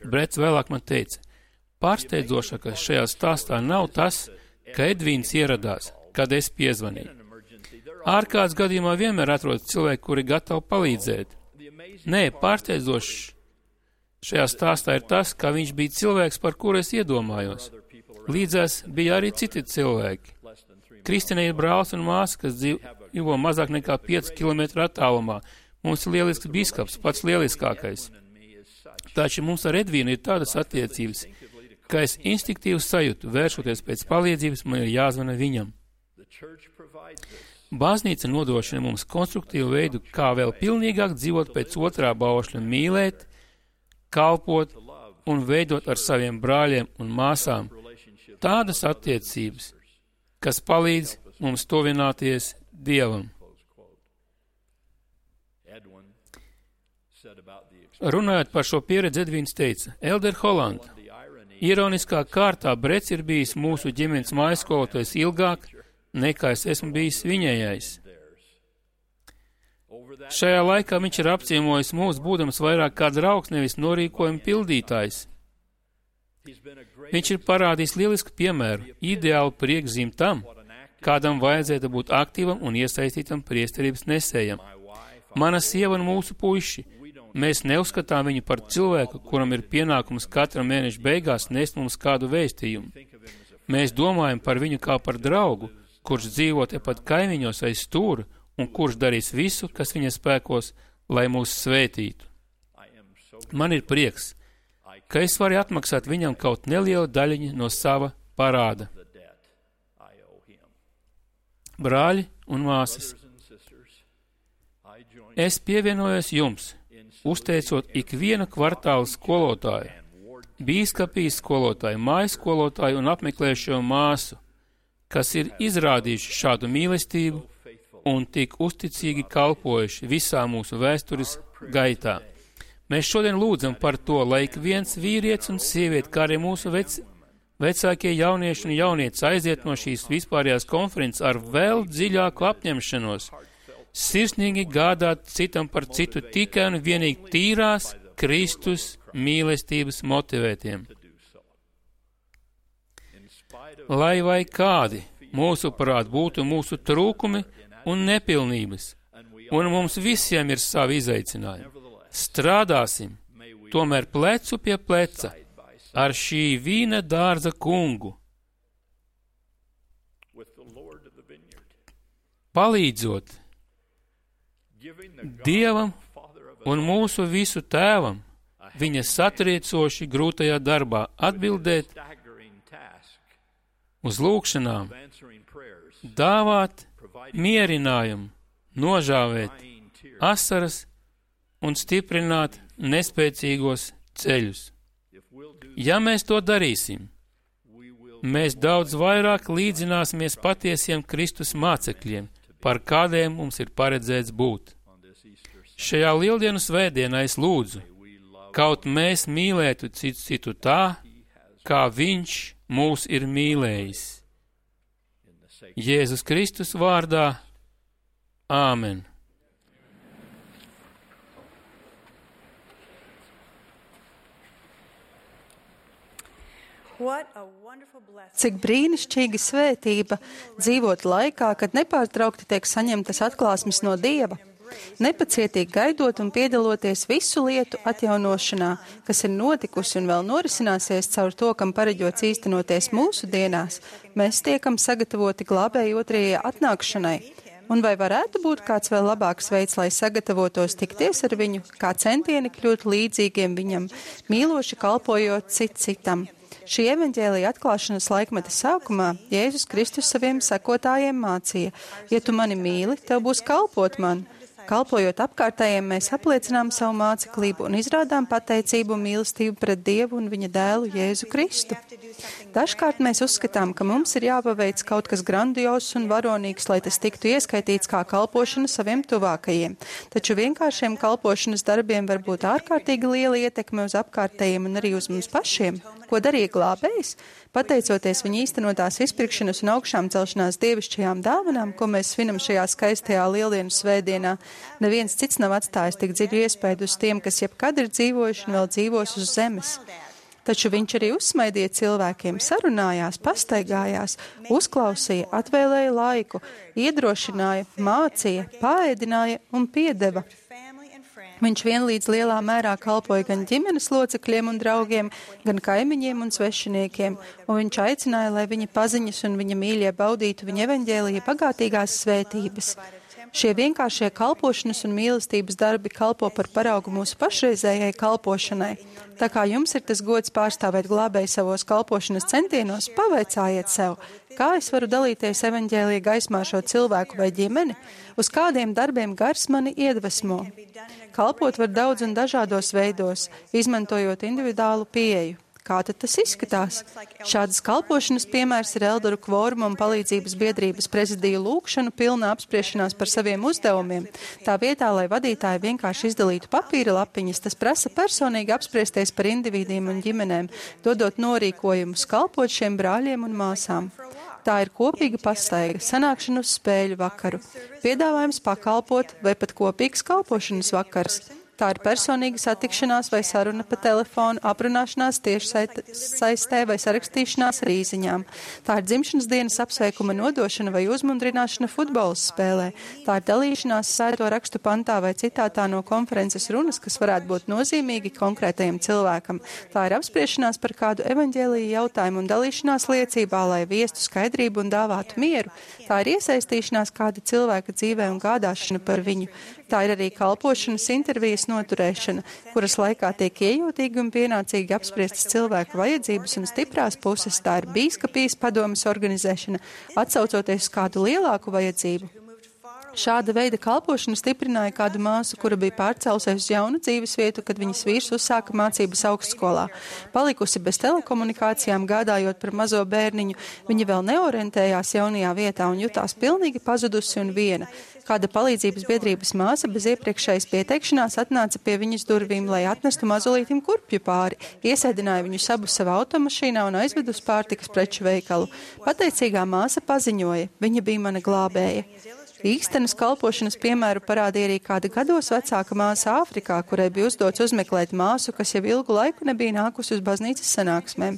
Brets vēlāk man teica: Pārsteidzošākais šajā stāstā nav tas, ka Edvīns ieradās, kad es piezvanīju. Ārkārtas gadījumā vienmēr atrodas cilvēki, kuri gatavi palīdzēt. Nē, pārsteidzošs šajā stāstā ir tas, ka viņš bija cilvēks, par kuru es iedomājos. Līdzās bija arī citi cilvēki. Kristīne ir brālis un māsa, kas dzīvo mazāk nekā 5 km attālumā. Mums ir lielisks biskaps, pats lieliskākais. Taču mums ar Edvīnu ir tādas attiecības, ka es instinktīvi sajūtu, vēršoties pēc palīdzības, man ir jāzvana viņam. Baznīca nodrošina mums konstruktīvu veidu, kā vēl pilnīgāk dzīvot pēc otrā baušļa, mīlēt, kalpot un veidot ar saviem brāļiem un māsām tādas attiecības, kas palīdz mums tuvināties Dievam. Runājot par šo pieredzi, Edvīns teica, Elder Holland, ironiskā kārtā Brets ir bijis mūsu ģimenes mājaskolotājs ilgāk, nekā es esmu bijis viņējais. Šajā laikā viņš ir apciemojis mūs, būdams vairāk kā draugs, nevis norīkojuma pildītājs. Viņš ir parādījis lielisku piemēru, ideālu priekšzīmi tam, kādam vajadzētu būt aktīvam un iesaistītam priesterības nesējam. Mana sieva un mūsu puiši, mēs neuzskatām viņu par cilvēku, kuram ir pienākums katra mēneša beigās nest mums kādu vēstījumu. Mēs domājam par viņu kā par draugu, kurš dzīvo tepat kaimiņos aiz stūra un kurš darīs visu, kas viņa spēkos, lai mūs svētītu. Man ir prieks, ka es varu atmaksāt viņam kaut nelielu daļiņu no sava parāda. Brāļi un māsas, es pievienojos jums, uzteicot ikvienu kvartālu skolotāju, bīskapijas skolotāju, mājas skolotāju un apmeklējušo māsu, kas ir izrādījuši šādu mīlestību un tik uzticīgi kalpojuši visā mūsu vēstures gaitā. Mēs šodien lūdzam par to, lai ik viens vīrietis un sieviete, kā arī mūsu vecākie jaunieši un jaunietes aiziet no šīs vispārējās konferences ar vēl dziļāku apņemšanos, sirsnīgi gādāt citam par citu tikai un vienīgi tīrās Kristus mīlestības motivētiem. Lai vai kādi, mūsuprāt, būtu mūsu trūkumi un nepilnības, un mums visiem ir savi izaicinājumi. Strādāsim, tomēr plecu pie pleca, ar šī vīna dārza kungu, palīdzot Dievam un mūsu visu tēvam, viņa satriecoši grūtajā darbā atbildēt uz lūgšanām, dāvāt mierinājumu, nožāvēt asaras un stiprināt nespēcīgos ceļus. Ja mēs to darīsim, mēs daudz vairāk līdzināsimies patiesiem Kristus mācekļiem, par kādiem mums ir paredzēts būt. Šajā lieldienu svētdienā es lūdzu, kaut mēs mīlētu citu tā, kā viņš mūs ir mīlējis. Jēzus Kristus vārdā. Āmen. Cik brīnišķīga svētība dzīvot laikā, kad nepārtraukti tiek saņemtas atklāsmes no Dieva, nepacietīgi gaidot un piedaloties visu lietu atjaunošanā, kas ir notikusi un vēl norisināsies caur to, kam pareģots īstenoties mūsu dienās, mēs tiekam sagatavoti glābēju otrajai atnākšanai. Un vai varētu būt kāds vēl labāks veids, lai sagatavotos tikties ar viņu, kā centieni kļūt līdzīgiem viņam, mīloši kalpojot citam? Šī evaņģēlija atklāšanas laikmeta sākumā Jēzus Kristus saviem sekotājiem mācīja: ja tu mani mīli, tev būs kalpot man. Kalpojot apkārtējiem, mēs apliecinām savu māceklību un izrādām pateicību un mīlestību pret Dievu un viņa dēlu Jēzu Kristu. Dažkārt mēs uzskatām, ka mums ir jāpaveic kaut kas grandios un varonīgs, lai tas tiktu ieskaitīts kā kalpošana saviem tuvākajiem. Taču vienkāršiem kalpošanas darbiem var būt ārkārtīgi liela ietekme uz apkārtējiem un arī uz mums pašiem. Ko darīja glābējs? Pateicoties viņa īstenotās izpirkšanas un augšām celšanās dievišķajām dāvanām, ko mēs svinam šajā skaistajā lieldienu svētdienā, neviens cits nav atstājis tik dziļu iespaidu uz tiem, kas jebkad ir dzīvojuši un vēl dzīvos uz zemes. Taču viņš arī uzsmaidīja cilvēkiem, sarunājās, pastaigājās, uzklausīja, atvēlēja laiku, iedrošināja, mācīja, paēdināja un piedeva. Viņš vienlīdz lielā mērā kalpoja gan ģimenes locekļiem un draugiem, gan kaimiņiem un svešiniekiem, un viņš aicināja, lai viņa paziņas un viņa mīļie baudītu viņa evaņģēlija bagātīgās svētības. Šie vienkāršie kalpošanas un mīlestības darbi kalpo par paraugu mūsu pašreizējai kalpošanai. Tā kā jums ir tas gods pārstāvēt glābēju savos kalpošanas centienos, pavaicājiet sev, kā es varu dalīties evaņģēlija gaismā šo cilvēku vai ģimeni, uz kādiem darbiem gars mani iedvesmo. Kalpot var daudz un dažādos veidos, izmantojot individuālu pieeju. Kā tad tas izskatās? Šādas kalpošanas piemērs ir Elderu kvoruma un palīdzības biedrības prezidiju lūgšanu pilna apspriešanās par saviem uzdevumiem. Tā vietā, lai vadītāji vienkārši izdalītu papīra lapiņas, tas prasa personīgi apspriesties par individiem un ģimenēm, dodot norīkojumus, kalpot šiem brāļiem un māsām. Tā ir kopīga pastaiga, sanākšana uz spēļu vakaru, piedāvājums pakalpot vai pat kopīgs kalpošanas vakars. Tā ir personīga satikšanās vai saruna pa telefonu, aprunāšanās tieši saistē vai sarakstīšanās ar īziņām. Tā ir dzimšanas dienas apsveikuma nodošana vai uzmundrināšana futbola spēlē. Tā ir dalīšanās sēto rakstu pantā vai citātā no konferences runas, kas varētu būt nozīmīgi konkrētajam cilvēkam. Tā ir apspriešanās par kādu evaņģēliju jautājumu un dalīšanās liecībā, lai viestu skaidrību un dāvātu mieru. Tā ir iesaistīšanās kāda cilvēka dzīvē un gādāšana par viņu. Tā ir arī kalpošanas intervijas noturēšana, kuras laikā tiek iejūtīgi un pienācīgi apspriestas cilvēku vajadzības un stiprās puses. Tā ir bīskapijas padomes organizēšana, atsaucoties uz kādu lielāku vajadzību. Šāda veida kalpošana stiprināja kādu māsu, kura bija pārcēlusies uz jaunu dzīves vietu, kad viņas vīrs uzsāka mācības augstskolā. Palikusi bez telekomunikācijām, gādājot par mazo bērniņu, viņa vēl neorientējās jaunajā vietā un jutās pilnīgi pazudusi un viena. Kāda palīdzības biedrības māsa bez iepriekšējas pieteikšanās atnāca pie viņas durvīm, lai atnestu mazulītim kurpju pāri, iesēdināja viņu sabu savā automašīnā un aizved uz pārtikas preču veikalu. Pateicīgā māsa paziņoja, viņa bija mana glābēja. Īstenas kalpošanas piemēru parādīja arī kāda gados vecāka māsa Āfrikā, kurai bija uzdots uzmeklēt māsu, kas jau ilgu laiku nebija nākusi uz baznīcas sanāksmēm.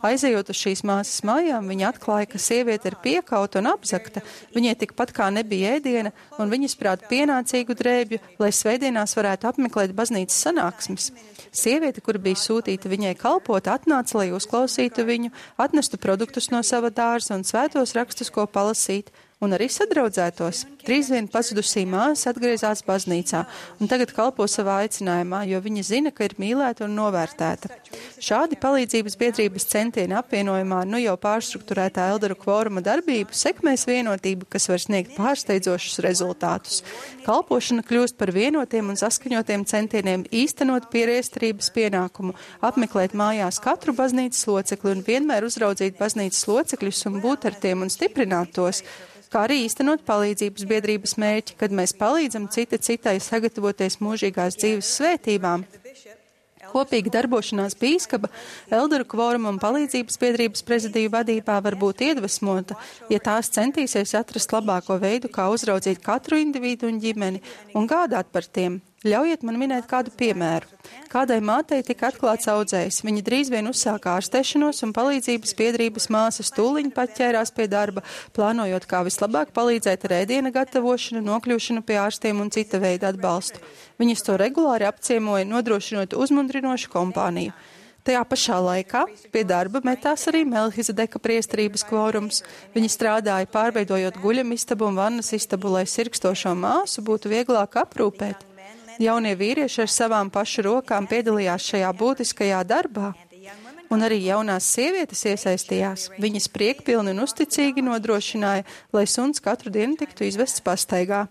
Aizejot uz šīs māsas mājām, viņa atklāja, ka sieviete ir piekauta un apzakta, viņai tikpat kā nebija ēdiena, un viņas prāt pienācīgu drēbju, lai svētdienās varētu apmeklēt baznīcas sanāksmes. Sieviete, kura bija sūtīta viņai kalpot, atnāca, lai uzklausītu viņu, atnestu produktus no sava dārza un svētos rakstus, ko palasīt, un arī sadraudzētos. Drīz vien pazudusī māsa atgriezās baznīcā un tagad kalpo savā aicinājumā, jo viņa zina, ka ir mīlēta un novērtēta. Šādi palīdzības biedrības centieni apvienojumā ar nu jau pārstrukturētā Elderu kvoruma darbību sekmēs vienotību, kas var sniegt pārsteidzošus rezultātus. Kalpošana kļūst par vienotiem un saskaņotiem centieniem īstenot pieriesterības pienākumu, apmeklēt mājās katru baznīcas locekli un vienmēr uzraudzīt baznīcas locekļus un būt ar tiem un stiprināt tos, kā arī īstenot palīdzības biedrības mērķi, kad mēs palīdzam citai sagatavoties mūžīgās dzīves svētībām. Kopīga darbošanās bīskapa, Elderu kvoruma un palīdzības biedrības prezidiju vadībā var būt iedvesmota, ja tās centīsies atrast labāko veidu, kā uzraudzīt katru individu un ģimeni un gādāt par tiem. Ļaujiet man minēt kādu piemēru. Kādai mātei tika atklāts audzējs. Viņa drīz vien uzsāka ārstēšanos un palīdzības biedrības māsas tūliņ pat ķērās pie darba, plānojot, kā vislabāk palīdzēt ar ēdiena gatavošanu, nokļūšanu pie ārstiem un cita veida atbalstu. Viņas to regulāri apciemoja, nodrošinot uzmundrinošu kompāniju. Tajā pašā laikā pie darba metās arī Melhizedeka priesterības kvorums. Viņi strādāja pārveidojot guļamistabu un vannas istabu, lai sirkstošo māsu būtu vieglāk aprūpēt. Jaunie vīrieši ar savām pašu rokām piedalījās šajā būtiskajā darbā, un arī jaunās sievietes iesaistījās. Viņas priekpilni un uzticīgi nodrošināja, lai suns katru dienu tiktu izvests pastaigā.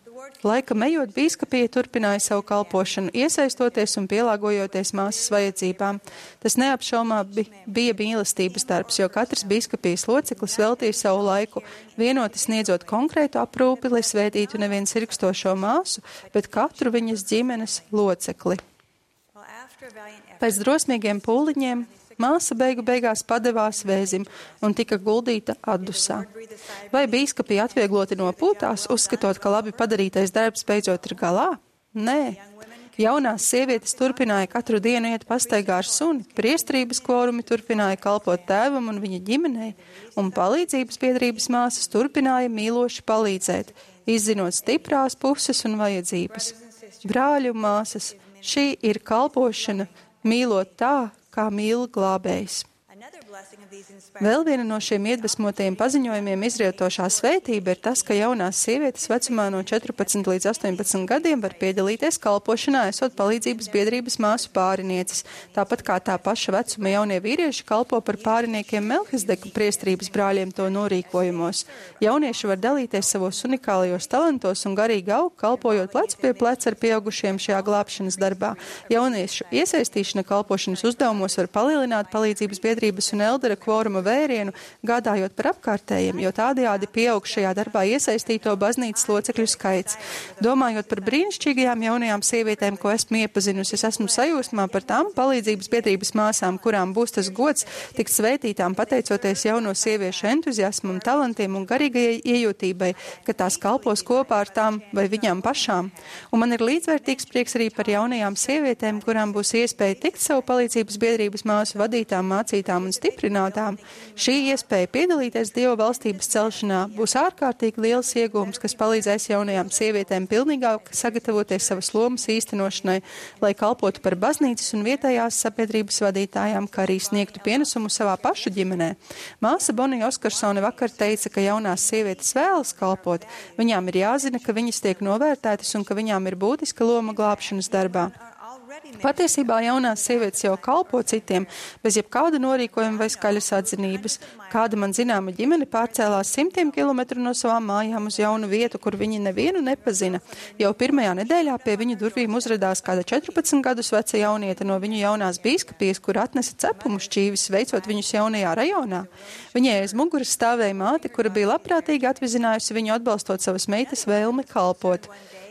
Laika ejot, bīskapija turpināja savu kalpošanu, iesaistoties un pielāgojoties māsas vajadzībām. Tas neapšaubāmi bija mīlestības darbs, jo katrs bīskapijas loceklis veltīja savu laiku, vienoti sniedzot konkrētu aprūpi, lai svētītu nevien sirkstošo māsu, bet katru viņas ģimenes locekli. Pēc drosmīgiem pūliņiem māsa beigās padevās vēzim un tika guldīta atdusā. Vai bīskapija atviegloti nopūtās, uzskatot, ka labi padarītais darbs beidzot ir galā? Nē. Jaunās sievietes turpināja katru dienu iet pastaigā ar suni, priestrības kvorumi turpināja kalpot tēvam un viņa ģimenei, un palīdzības biedrības māsas turpināja mīloši palīdzēt, izzinot stiprās puses un vajadzības. Brāļi un māsas, šī ir kalpošana, mīlot tā, kā mīl glābējs. Vēl viena no šiem iedvesmotajiem paziņojumiem izrietošā svētība ir tas, ka jaunās sievietes vecumā no 14 līdz 18 gadiem var piedalīties kalpošanā, esot palīdzības biedrības māsu pārinieces, tāpat kā tā paša vecuma jaunie vīrieši kalpo par pāriniekiem Melhizdeku priestrības brāļiem to norīkojumos. Jaunieši var dalīties savos unikālajos talantos un garīgi aug, kalpojot plecu pie pleca ar pieaugušiem šajā glābšanas darbā. Jauniešu iesaistīšana kalpošanas uzdevumos var palielināt palīdzības biedrības un eldera kvoruma vērienu, gādājot par apkārtējiem, jo tādējādi pieaug šajā darbā iesaistīto baznīcas locekļu skaits. Domājot par brīnišķīgajām jaunajām sievietēm, ko esmu iepazinusi, es esmu sajūsmā par tām palīdzības biedrības māsām, kurām būs tas gods tikt svētītām pateicoties jauno sieviešu entuziasmam, talantiem un garīgajai iejūtībai, ka tās kalpos kopā ar tām vai viņām pašām. Un man ir līdzvērtīgs prieks arī par jaunajām sievietēm, kurām būs iespēja tikt savu palīdzības biedrības māsu vadītām, mācītām un stiprināt. Šī iespēja piedalīties Dieva valstības celšanā būs ārkārtīgi liels iegūms, kas palīdzēs jaunajām sievietēm pilnīgāk sagatavoties savas lomas īstenošanai, lai kalpotu par baznīcas un vietējās sabiedrības vadītājām, kā arī sniegtu pienesumu savā pašu ģimenē. Māsa Bonija Oskarsone vakar teica, ka jaunās sievietes vēlas kalpot. Viņām ir jāzina, ka viņas tiek novērtētas un ka viņām ir būtiska loma glābšanas darbā. Patiesībā jaunās sievietes jau kalpo citiem, bez jebkāda norīkojuma vai skaļas atzinības. Kāda man zināma ģimene pārcēlās 100 kilometru no savām mājām uz jaunu vietu, kur viņi nevienu nepazina. Jau pirmajā nedēļā pie viņu durvīm uzradās kāda 14 gadus veca jauniete no viņu jaunās bīskapijas, kur atnesa cepumu šķīvis, veicot viņus jaunajā rajonā. Viņai aiz muguras stāvēja māte, kura bija labprātīgi atvizinājusi viņu atbalstot savas meitas vēlmi kalpot.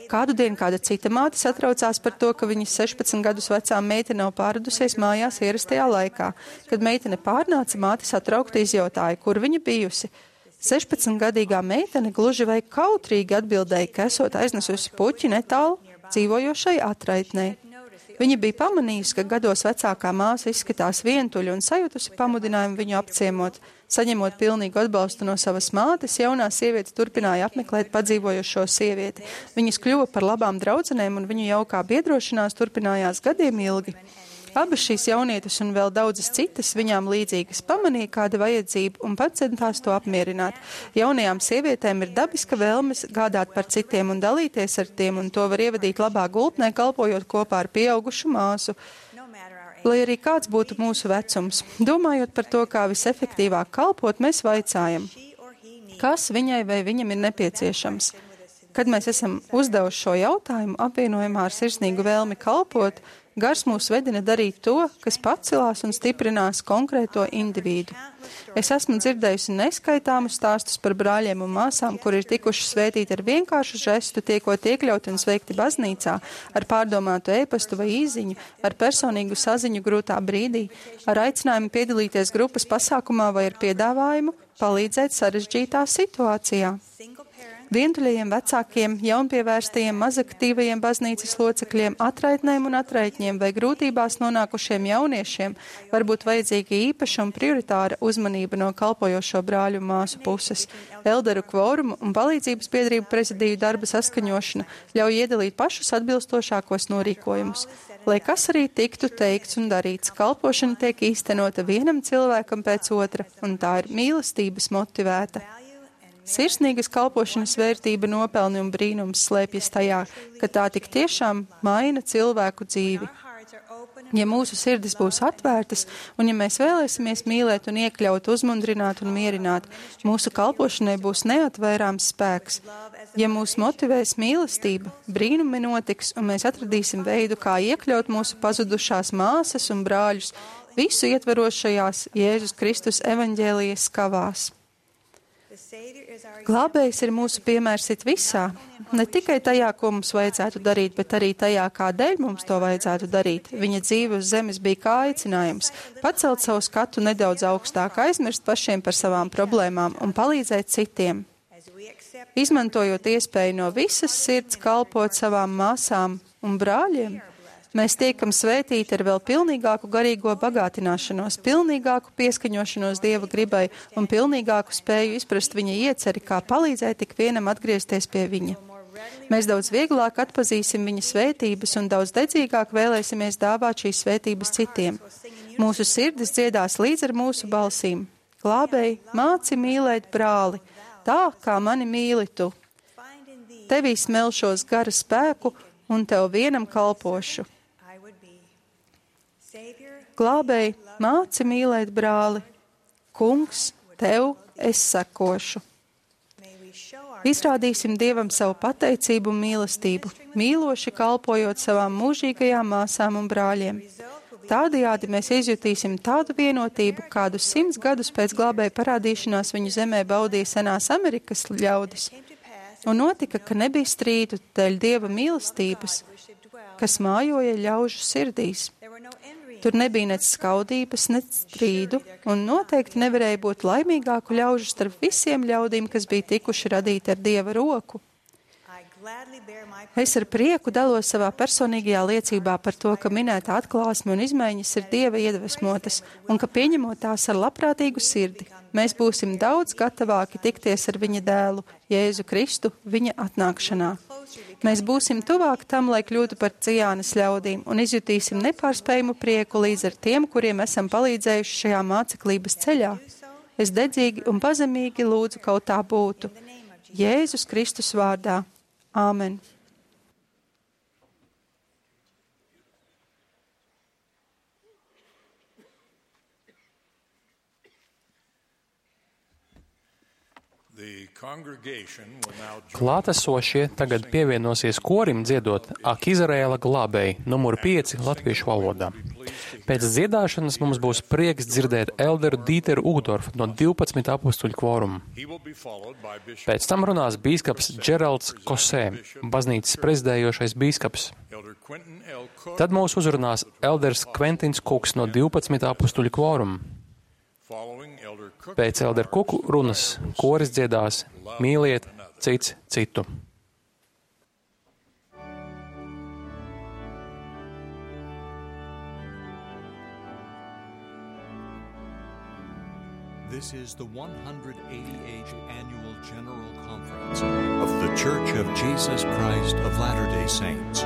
Kādu dienu kāda cita māte satraucās par to, ka viņas 16 gadus vecā meitene nav pārradusies mājās ierastajā laikā. Kad meitene pārnāca, māte satraukti izjautāja, kur viņa bijusi. 16-gadīgā meitene gluži vai kautrīgi atbildēja, ka esot aiznesusi puķi netālu dzīvojošai atraitnei. Viņa bija pamanījusi, ka gados vecākā māsa izskatās vientuļa un sajutusi pamudinājumu viņu apciemot. Saņemot pilnīgu atbalstu no savas mātes, jaunā sieviete turpināja apmeklēt padzīvojošo sievieti. Viņas kļuva par labām draudzenēm un viņu jaukā biedrošanās turpinājās gadiem ilgi. Abas šīs jaunietes un vēl daudzas citas viņām līdzīgas pamanīja kāda vajadzība un pats centās to apmierināt. Jaunajām sievietēm ir dabiska vēlmes gādāt par citiem un dalīties ar tiem, un to var ievadīt labā gultnē, kalpojot kopā ar pieaugušu māsu. Lai arī kāds būtu mūsu vecums, domājot par to, kā visefektīvāk kalpot, mēs vaicājam, kas viņai vai viņam ir nepieciešams. Kad mēs esam uzdevuši šo jautājumu, apvienojumā ar sirsnīgu vēlmi kalpot, Gars mūs vedina darīt to, kas pacelās un stiprinās konkrēto individu. Es esmu dzirdējusi neskaitāmus stāstus par brāļiem un māsām, kuri ir tikuši svētīti ar vienkāršu žestu, tiekot iekļauti un sveikti baznīcā, ar pārdomātu ēpastu vai īziņu, ar personīgu saziņu grūtā brīdī, ar aicinājumu piedalīties grupas pasākumā vai ar piedāvājumu palīdzēt sarežģītā situācijā. Vientuļajiem vecākiem, jaunpievērstajiem, mazaktīvajiem baznīcas locekļiem, atraitnēm un atraitņiem vai grūtībās nonākušiem jauniešiem var būt vajadzīga īpaša un prioritāra uzmanība no kalpojošo brāļu un māsu puses. Elderu kvorumu un palīdzības biedrību prezidiju darba saskaņošana ļauj iedalīt pašus atbilstošākos norīkojumus. Lai kas arī tiktu teikts un darīts, kalpošana tiek īstenota vienam cilvēkam pēc otra, un tā ir mīlestības motivēta. Sirsnīgas kalpošanas vērtība, nopelni un brīnums slēpjas tajā, ka tā tik tiešām maina cilvēku dzīvi. Ja mūsu sirdis būs atvērtas, un ja mēs vēlēsimies mīlēt un iekļaut, uzmundrināt un mierināt, mūsu kalpošanai būs neatvairāms spēks. Ja mūs motivēs mīlestība, brīnumi notiks, un mēs atradīsim veidu, kā iekļaut mūsu pazudušās māsas un brāļus visu ietverošajās Jēzus Kristus evaņģēlijas skavās. Glābējs ir mūsu piemērs it visā, ne tikai tajā, ko mums vajadzētu darīt, bet arī tajā, kādēļ mums to vajadzētu darīt. Viņa dzīve uz zemes bija kā aicinājums pacelt savu skatu nedaudz augstāk, aizmirst pašiem par savām problēmām un palīdzēt citiem. Izmantojot iespēju no visas sirds kalpot savām māsām un brāļiem, Mēs tiekam svētīti ar vēl pilnīgāku garīgo bagātināšanos, pilnīgāku pieskaņošanos Dieva gribai un pilnīgāku spēju izprast viņa ieceri, kā palīdzēt tik vienam atgriezties pie viņa. Mēs daudz vieglāk atpazīsim viņa svētības un daudz dedzīgāk vēlēsimies dāvāt šīs svētības citiem. Mūsu sirdis dziedās līdz ar mūsu balsīm. Glābēji, māci mīlēt brāli, tā kā mani mīli tu. Tevī smelšos gara spēku un tev vienam kalpošu. Glābēji, māci mīlēt brāli, kungs, tev es sekošu. Izrādīsim Dievam savu pateicību un mīlestību, mīloši kalpojot savām mūžīgajām māsām un brāļiem. Tādējādi mēs izjutīsim tādu vienotību, kādu 100 gadus pēc glābēja parādīšanās viņu zemē baudīja senās Amerikas ļaudis. Un notika, ka nebija strīdu dēļ Dieva mīlestības, kas mājoja ļaužu sirdīs. Tur nebija nec skaudības, nec strīdu, un noteikti nevarēja būt laimīgāku ļaužu starp visiem ļaudīm, kas bija tikuši radīti ar Dieva roku. Es ar prieku dalos savā personīgajā liecībā par to, ka minētā atklāsme un izmaiņas ir Dieva iedvesmotas, un ka pieņemot tās ar labprātīgu sirdi, mēs būsim daudz gatavāki tikties ar viņa dēlu, Jēzu Kristu, viņa atnākšanā. Mēs būsim tuvāk tam, lai kļūtu par Cijānas ļaudīm, un izjutīsim nepārspējumu prieku līdz ar tiem, kuriem esam palīdzējuši šajā māceklības ceļā. Es dedzīgi un pazemīgi lūdzu kaut tā būtu. Jēzus Kristus vārdā. Āmen. Klātesošie tagad pievienosies korim dziedot Ak Izraēla glābēji, numuru 5 latviešu valodā. Pēc dziedāšanas mums būs prieks dzirdēt elderu Dīteru Ugdorfu no 12 apustuļu kvoruma. Pēc tam runās bīskaps Džeralds Kosē, baznīcas prezidējošais bīskaps. Tad mūs uzrunās elders Kventins Kuks no 12 apustuļu kvoruma. Pēc elderu Kuku runas koris dziedās Mīliet cits citu. This is the 188th Annual General Conference of the Church of Jesus Christ of Latter-day Saints.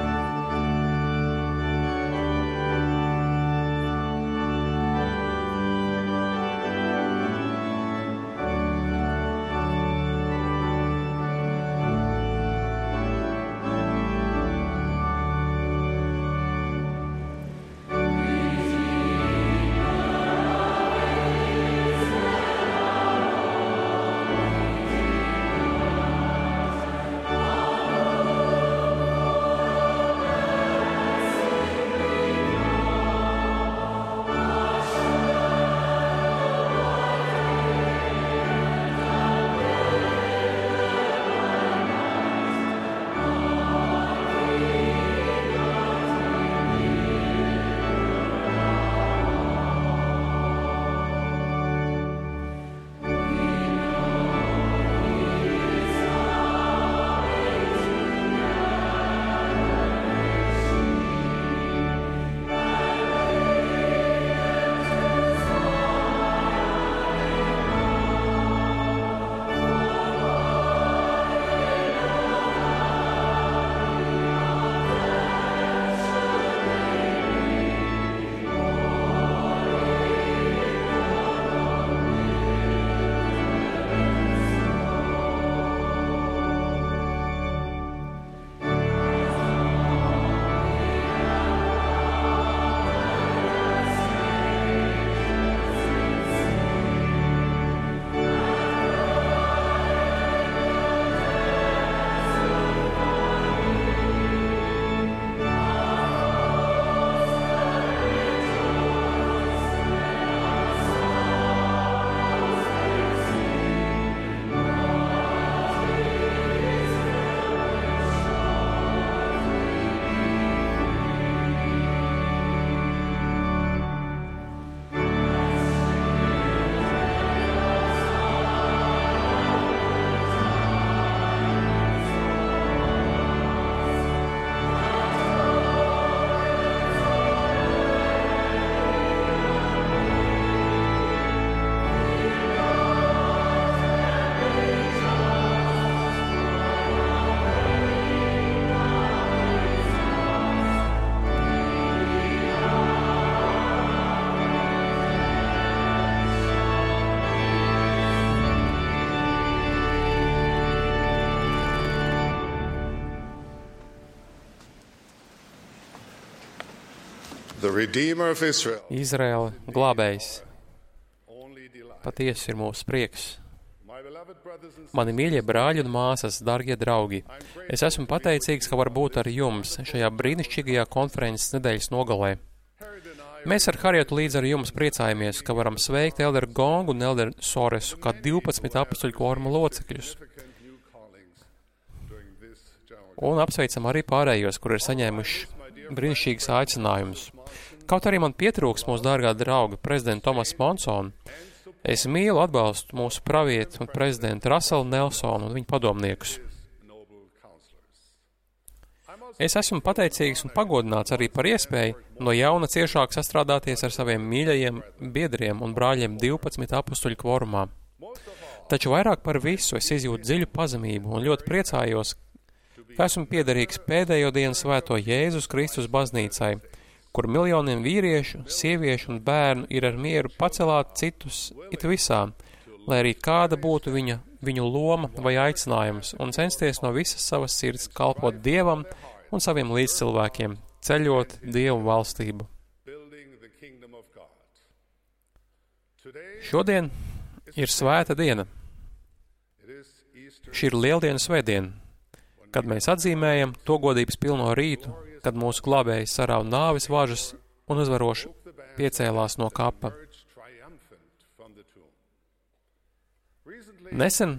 Izraēla glābējs. Patiesi ir mūsu prieks. Mani mīļie brāļi un māsas, dargie draugi, es esmu pateicīgs, ka var būt ar jums šajā brīnišķīgajā konferences nedēļas nogalē. Mēs ar Harietu līdz ar jums priecājamies, ka varam sveikt Elderu Gongu un Elderu Soresu kā 12 apustuļu kvoruma locekļus. Un apsveicam arī pārējos, kur ir saņēmuši brīnišķīgas aicinājumus. Kaut arī man pietrūks mūsu dārgā drauga prezidenta Tomasa Monsona, es mīlu atbalstu mūsu pravieti un prezidentu Raselu Nelsonu un viņu padomniekus. Es esmu pateicīgs un pagodināts arī par iespēju no jauna ciešāk sastrādāties ar saviem mīļajiem biedriem un brāļiem 12 apustuļu kvorumā. Taču vairāk par visu es izjūtu dziļu pazemību un ļoti priecājos, ka esmu piederīgs pēdējo dienu svēto Jēzus Kristus baznīcai, kur miljoniem vīriešu, sieviešu un bērnu ir ar mieru pacelāt citus it visā, lai arī kāda būtu viņu loma vai aicinājums, un censties no visas savas sirds kalpot Dievam un saviem līdzcilvēkiem, ceļot Dievu valstību. Šodien ir svēta diena. Šī ir lieldienas svētdiena, kad mēs atzīmējam to godības pilno rītu, kad mūsu glābējs sarāva nāves važas un uzvaroši piecēlās no kapa. Nesen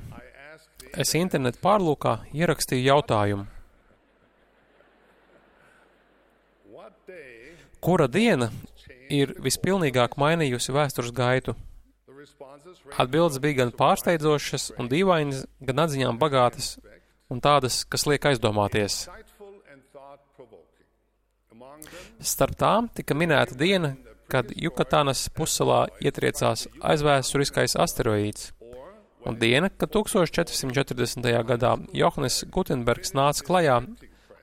es internetu pārlūkā ierakstīju jautājumu. Kura diena ir vispilnīgāk mainījusi vēstures gaitu? Atbildes bija gan pārsteidzošas un dīvainas, gan atziņām bagātas un tādas, kas liek aizdomāties. Starp tām tika minēta diena, kad Jukatānas pussalā ietriecās aizvēsturiskais asteroīds, un diena, kad 1440. gadā Johannes Gutenbergs nāca klajā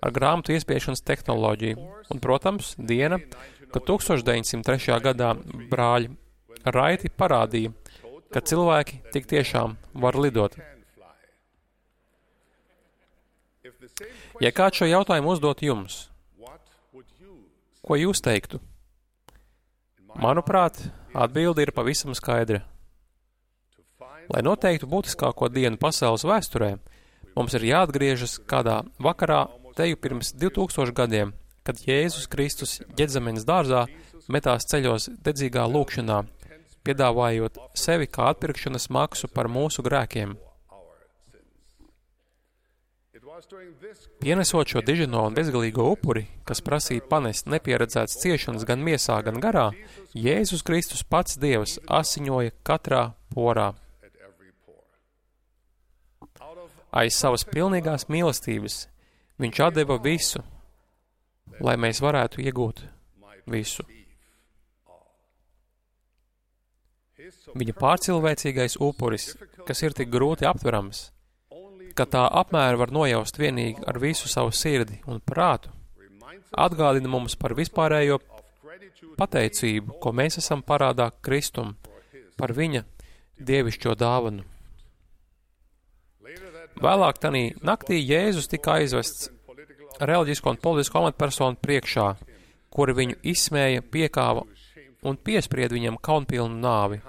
ar grāmatu iespiešanas tehnoloģiju, un, protams, diena, kad 1903. gadā brāļi Raiti parādīja, ka cilvēki tik tiešām var lidot. Ja kāds šo jautājumu uzdot jums, ko jūs teiktu? Manuprāt, atbilde ir pavisam skaidra. Lai noteiktu būtiskāko dienu pasaules vēsturē, mums ir jāatgriežas kādā vakarā teju pirms 2000 gadiem, kad Jēzus Kristus Ģedzemenes dārzā metās ceļos dedzīgā lūkšanā, piedāvājot sevi kā atpirkšanas maksu par mūsu grēkiem. Pienesot šo dižino un bezgalīgo upuri, kas prasīja panest nepieredzētas ciešanas gan miesā, gan garā, Jēzus Kristus pats Dievs asiņoja katrā porā. Aiz savas pilnīgās mīlestības viņš atdeva visu, lai mēs varētu iegūt visu. Viņa pārcilvēcīgais upuris, kas ir tik grūti aptverams, ka tā apmēra var nojaust vienīgi ar visu savu sirdi un prātu, atgādina mums par vispārējo pateicību, ko mēs esam parādā Kristum, par viņa dievišķo dāvanu. Vēlāk tanī naktī Jēzus tika aizvests reliģisko un politisko amatpersonu priekšā, kuri viņu izsmēja, piekāva un piespried viņam kaunpilnu nāvi.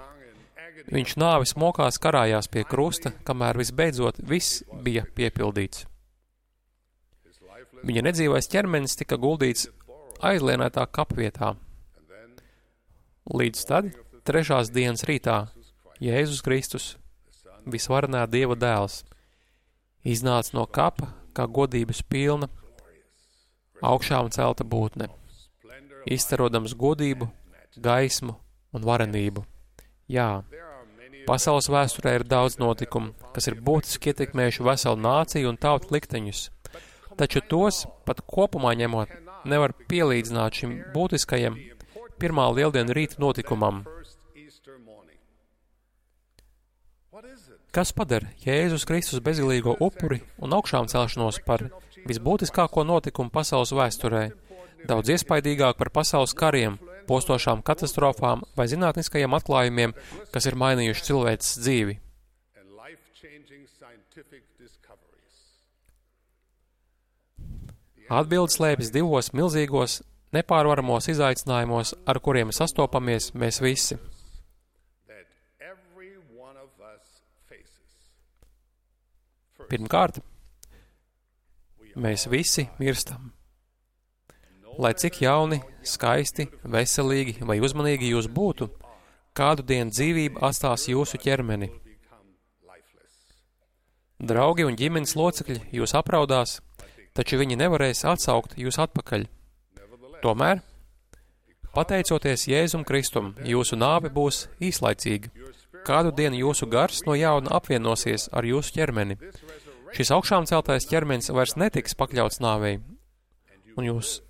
Viņš nāvis mokās karājās pie krusta, kamēr visbeidzot viss bija piepildīts. Viņa nedzīvais ķermenis tika guldīts aizlienētā kapvietā. Līdz tad, 3. dienas rītā, Jēzus Kristus, visvarenā Dieva dēls, iznāca no kapa kā godības pilna, augšām celta būtne, izstarodams godību, gaismu un varenību. Jā, pasaules vēsturē ir daudz notikumu, kas ir būtiski ietekmējuši veselu nāciju un tautu likteņus, taču tos pat kopumā ņemot nevar pielīdzināt šim būtiskajam pirmā lieldienu rīta notikumam. Kas padara Jēzus Kristus bezgalīgo upuri un augšām celšanos par visbūtiskāko notikumu pasaules vēsturē, daudz iespaidīgāk par pasaules kariem, postošām katastrofām vai zinātniskajiem atklājumiem, kas ir mainījuši cilvēces dzīvi? Atbildes slēpjas divos milzīgos, nepārvaramos izaicinājumos, ar kuriem sastopamies mēs visi. Pirmkārt, mēs visi mirstam. Lai cik jauni, skaisti, veselīgi vai uzmanīgi jūs būtu, kādu dienu dzīvība atstās jūsu ķermeni. Draugi un ģimenes locekļi jūs apraudās, taču viņi nevarēs atsaukt jūs atpakaļ. Tomēr, pateicoties Jēzum Kristum, jūsu nāve būs īslaicīga. Kādu dienu jūsu gars no jauna apvienosies ar jūsu ķermeni. Šis augšām celtais ķermenis vairs netiks pakļauts nāvei, un jūs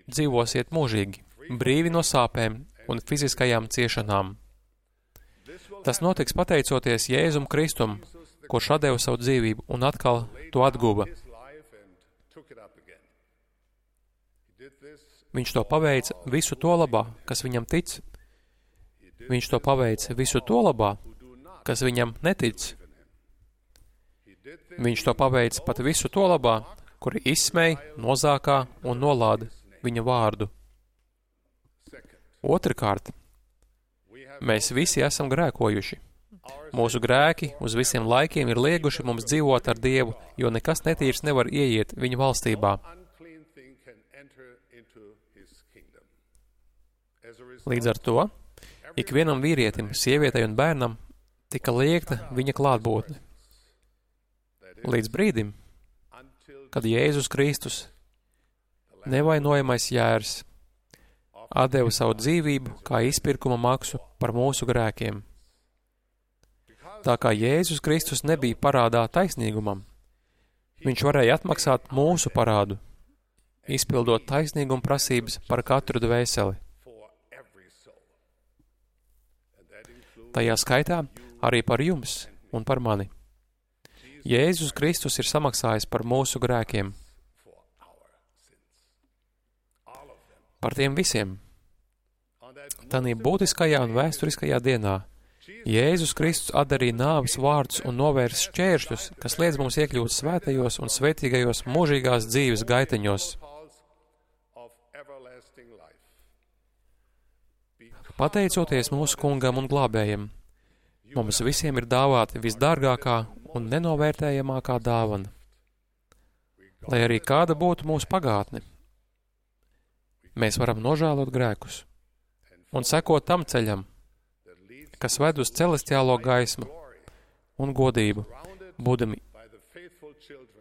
dzīvosiet mūžīgi, brīvi no sāpēm un fiziskajām ciešanām. Tas notiks pateicoties Jēzum Kristum, kurš atdeva savu dzīvību un atkal to atguva. Viņš to paveica visu to labā, kas viņam tic. Viņš to paveica visu to labā, kas viņam netic. Viņš to paveica pat visu to labā, kuri izsmēja, nozākā un nolāda viņa vārdu. Otrkārt, mēs visi esam grēkojuši. Mūsu grēki uz visiem laikiem ir lieguši mums dzīvot ar Dievu, jo nekas netīrs nevar ieiet viņa valstībā. Līdz ar to, ikvienam vīrietim, sievietei un bērnam tika liekta viņa klātbūtne. Līdz brīdim, kad Jēzus Kristus, nevainojamais jērs, atdeva savu dzīvību kā izpirkuma maksu par mūsu grēkiem. Tā kā Jēzus Kristus nebija parādā taisnīgumam, viņš varēja atmaksāt mūsu parādu, izpildot taisnīguma prasības par katru dvēseli. Tajā skaitā arī par jums un par mani. Jēzus Kristus ir samaksājis par mūsu grēkiem. Par tiem visiem. Tanī būtiskajā un vēsturiskajā dienā Jēzus Kristus atdarīja nāves vārdus un novērs šķēršļus, kas liedz mums iekļūt svētajos un svētīgajos mūžīgās dzīves gaiteņos. Pateicoties mūsu kungam un glābējam, mums visiem ir dāvāta visdārgākā un nenovērtējamākā dāvana. Lai arī kāda būtu mūsu pagātne, mēs varam nožēlot grēkus un sekot tam ceļam, kas ved uz celestiālo gaismu un godību, būdami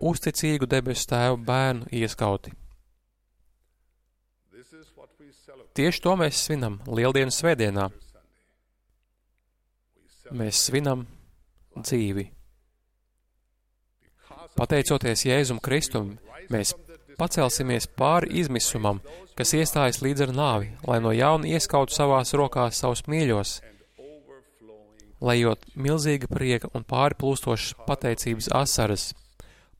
uzticīgu debesu tēvu bērnu ieskauti. Tieši to mēs svinam Lieldienas svētdienā. Mēs svinam dzīvi. Pateicoties Jēzum Kristum, mēs pacelsimies pāri izmisumam, kas iestājas līdz ar nāvi, lai no jauna ieskautu savās rokās savus mīļos, lejot milzīga prieka un pārplūstošas pateicības asaras.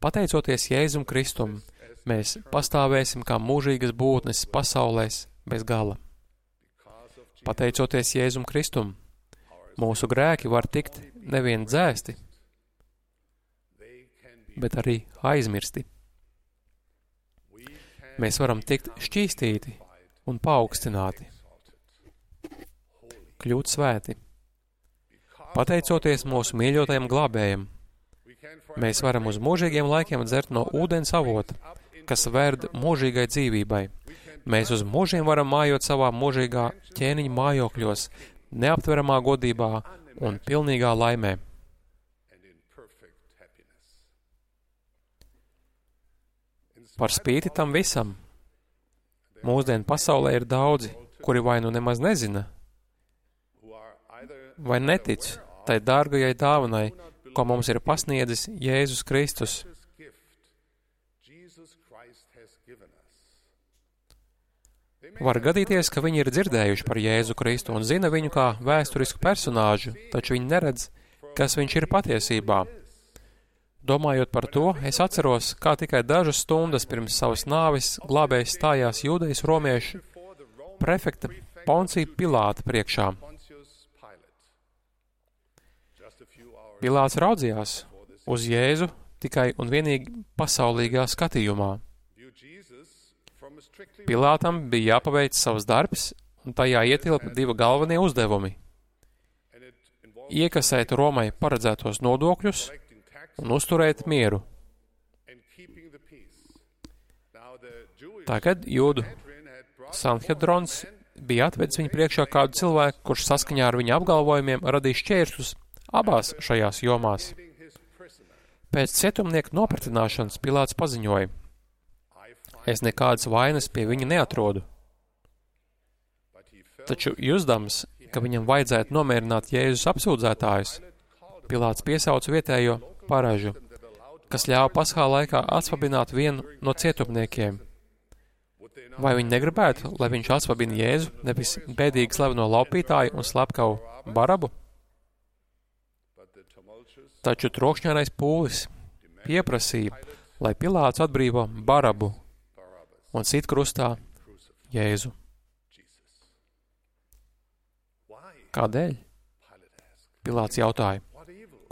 Pateicoties Jēzum Kristum, mēs pastāvēsim kā mūžīgas būtnes pasaulēs bez gala. Pateicoties Jēzum Kristum, mūsu grēki var tikt nevien dzēsti, bet arī aizmirsti. Mēs varam tikt šķīstīti un paaugstināti, kļūt svēti. Pateicoties mūsu mīļotajam glābējam, mēs varam uz mūžīgiem laikiem dzert no ūdens avota, kas verd mūžīgai dzīvībai. Mēs uz mūžiem varam mājot savā mūžīgā ķēniņa mājokļos, neaptveramā godībā un pilnīgā laimē. Par spīti tam visam, mūsdienu pasaulē ir daudzi, kuri vai nu nemaz nezina, vai netic tai dārgajai dāvanai, ko mums ir pasniedzis Jēzus Kristus. Var gadīties, ka viņi ir dzirdējuši par Jēzu Kristu un zina viņu kā vēsturisku personāžu, taču viņi neredz, kas viņš ir patiesībā. Domājot par to, es atceros, kā tikai dažas stundas pirms savas nāves glābējs stājās Jūdejas romiešu prefekta Poncija Pilāta priekšā. Pilāts raudzījās uz Jēzu tikai un vienīgi pasaulīgā skatījumā. Pilātam bija jāpaveic savs darbs, un tajā ietilpa 2 galvenie uzdevumi - iekasēt Romai paredzētos nodokļus un uzturēt mieru. Tagad Jūdu Sanhedrons bija atvedis viņu priekšā kādu cilvēku, kurš saskaņā ar viņa apgalvojumiem radīja šķēršļus abās šajās jomās. Pēc cietumnieka nopratināšanas Pilāts paziņoja: es nekādas vainas pie viņa neatrodu. Taču jusdams, ka viņam vajadzētu nomierināt Jēzus apsūdzētājus, Pilāts piesauca vietējo paražu, kas ļāva Paskā laikā atsvabināt vienu no cietumniekiem. Vai viņi negribētu, lai viņš atsvabina Jēzu, nevis bēdīgi slaveno laupītāju un slepkavu Barabu? Taču trokšņārais pūlis pieprasīja, lai Pilāts atbrīvo Barabu un sit krustā Jēzu. Kādēļ? Pilāts jautāja,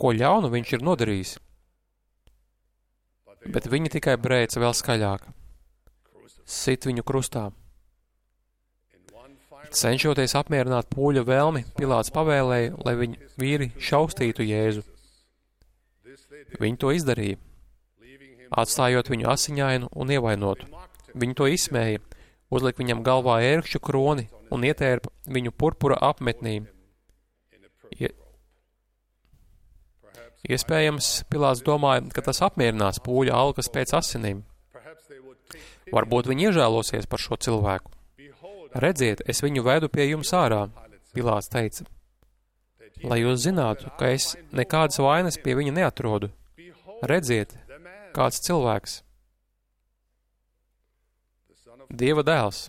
ko ļaunu viņš ir nodarījis? Bet viņi tikai brēca vēl skaļāk. Sit viņu krustā. Cenšoties apmierināt pūļa vēlmi, Pilāts pavēlēja, lai viņa vīri šaustītu Jēzu. Viņi to izdarīja, atstājot viņu asiņainu un ievainotu. Viņi to izsmēja, uzlika viņam galvā ērkšķu kroni un ietērpa viņu purpura apmetnī. Iespējams, Pilāts domāja, ka tas apmierinās pūļa alkas pēc asinīm. Varbūt viņi iežēlosies par šo cilvēku. Redziet, es viņu vedu pie jums ārā, Pilāts teica, lai jūs zinātu, ka es nekādas vainas pie viņa neatrodu. Redziet, kāds cilvēks. Dieva dēls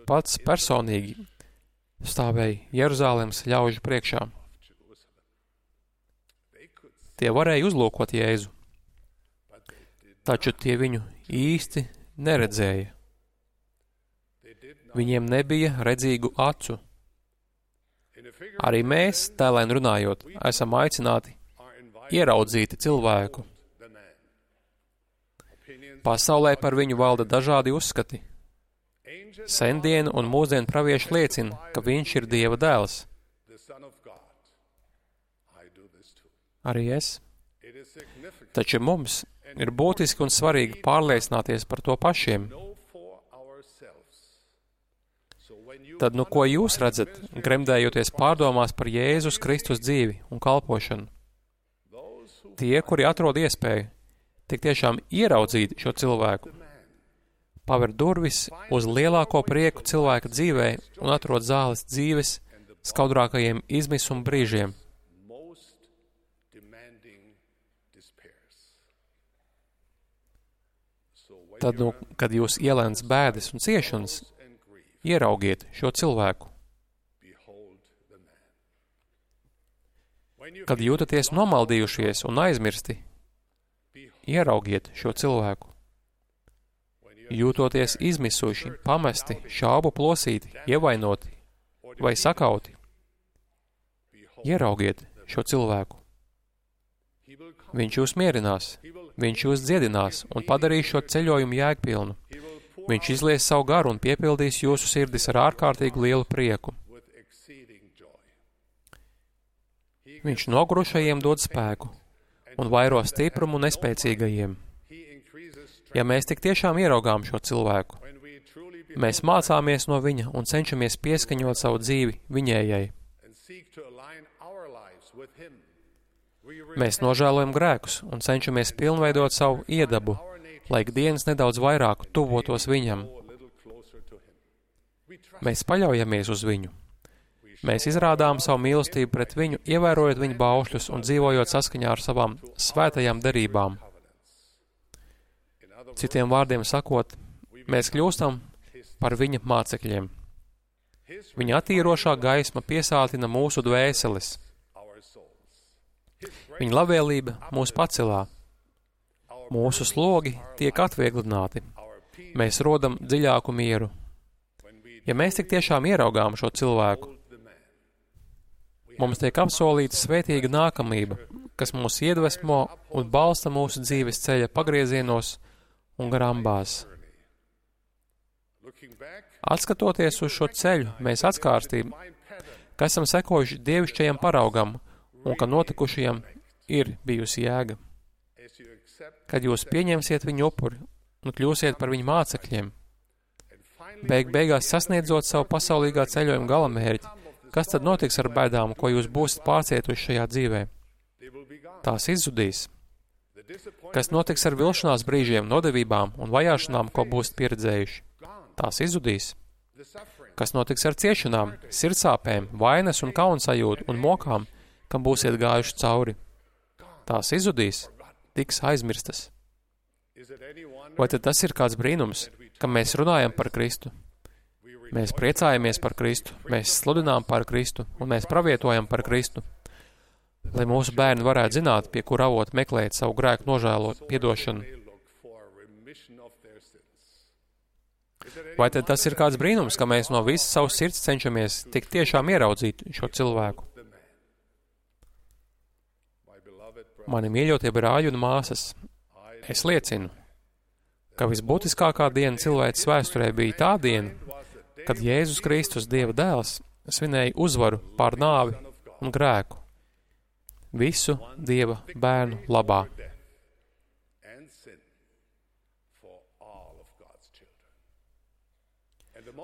pats personīgi stāvēja Jeruzālēmas ļaužu priekšā. Tie varēja uzlūkot Jēzu, taču tie viņu īsti neredzēja. Viņiem nebija redzīgu acu. Arī mēs, tēlēn runājot, esam aicināti ieraudzīt cilvēku. Pasaulē par viņu valda dažādi uzskati. Sendienu un mūsdienu pravieši liecina, ka viņš ir Dieva dēls. Arī es. Taču mums ir būtiski un svarīgi pārliecināties par to pašiem. Tad, nu, ko jūs redzat, gremdējoties pārdomās par Jēzus Kristus dzīvi un kalpošanu? Tie, kuri atrod iespēju tik tiešām ieraudzīt šo cilvēku, paver durvis uz lielāko prieku cilvēka dzīvē un atrod zāles dzīves skaudrākajiem izmisuma brīžiem. Tad, nu, kad jūs ielēns bēdas un ciešanas, ieraugiet šo cilvēku. Kad jūtaties nomaldījušies un aizmirsti, ieraugiet šo cilvēku. Jūtoties izmisuši, pamesti, šaubu plosīti, ievainoti vai sakauti, ieraugiet šo cilvēku. Viņš jūs mierinās, viņš jūs dziedinās un padarīs šo ceļojumu jēgpilnu. Viņš izlies savu garu un piepildīs jūsu sirdis ar ārkārtīgi lielu prieku. Viņš nogurušajiem dod spēku un vairo stiprumu nespēcīgajiem. Ja mēs tik tiešām ieraugām šo cilvēku, mēs mācāmies no viņa un cenšamies pieskaņot savu dzīvi viņējai. Mēs nožēlojam grēkus un cenšamies pilnveidot savu iedabu, lai ikdienas nedaudz vairāk tuvotos viņam. Mēs paļaujamies uz viņu. Mēs izrādām savu mīlestību pret viņu, ievērojot viņa baušļus un dzīvojot saskaņā ar savām svētajām derībām. Citiem vārdiem sakot, mēs kļūstam par viņa mācekļiem. Viņa attīrošā gaisma piesātina mūsu dvēseles. Viņa labvēlība mūs pacelā. Mūsu slogi tiek atvieglināti. Mēs rodam dziļāku mieru. Ja mēs tik tiešām ieraugām šo cilvēku, mums tiek apsolīta svētīga nākamība, kas mūs iedvesmo un balsta mūsu dzīves ceļa pagriezienos un grambās. Atskatoties uz šo ceļu, mēs atskārstījām, ka esam sekojuši dievišķajam paraugam un ka notikušajam ir bijusi jēga. Kad jūs pieņemsiet viņu upuri un kļūsiet par viņu mācekļiem, beigās sasniedzot savu pasaulīgā ceļojuma galamērķi, kas tad notiks ar bēdām, ko jūs būsiet pārcietuši šajā dzīvē? Tās izzudīs. Kas notiks ar vilšanās brīžiem, nodevībām un vajāšanām, ko būsiet pieredzējuši? Tās izzudīs. Kas notiks ar ciešanām, sirdsāpēm, vainas un kaunsajūtu un mokām, kam būsiet gājuši cauri? Tās izzudīs, tiks aizmirstas. Vai tad tas ir kāds brīnums, ka mēs runājam par Kristu? Mēs priecājamies par Kristu, mēs sludinām par Kristu un mēs pravietojam par Kristu, lai mūsu bērni varētu zināt, pie kur avot meklēt savu grēku nožēlot, piedošanu. Vai tad tas ir kāds brīnums, ka mēs no visas savas sirds cenšamies tik tiešām ieraudzīt šo cilvēku? Mani mīļotie brāļi un māsas, es liecinu, ka visbūtiskākā diena cilvēces vēsturē bija tā diena, kad Jēzus Kristus, Dieva dēls, svinēja uzvaru pār nāvi un grēku, visu Dieva bērnu labā.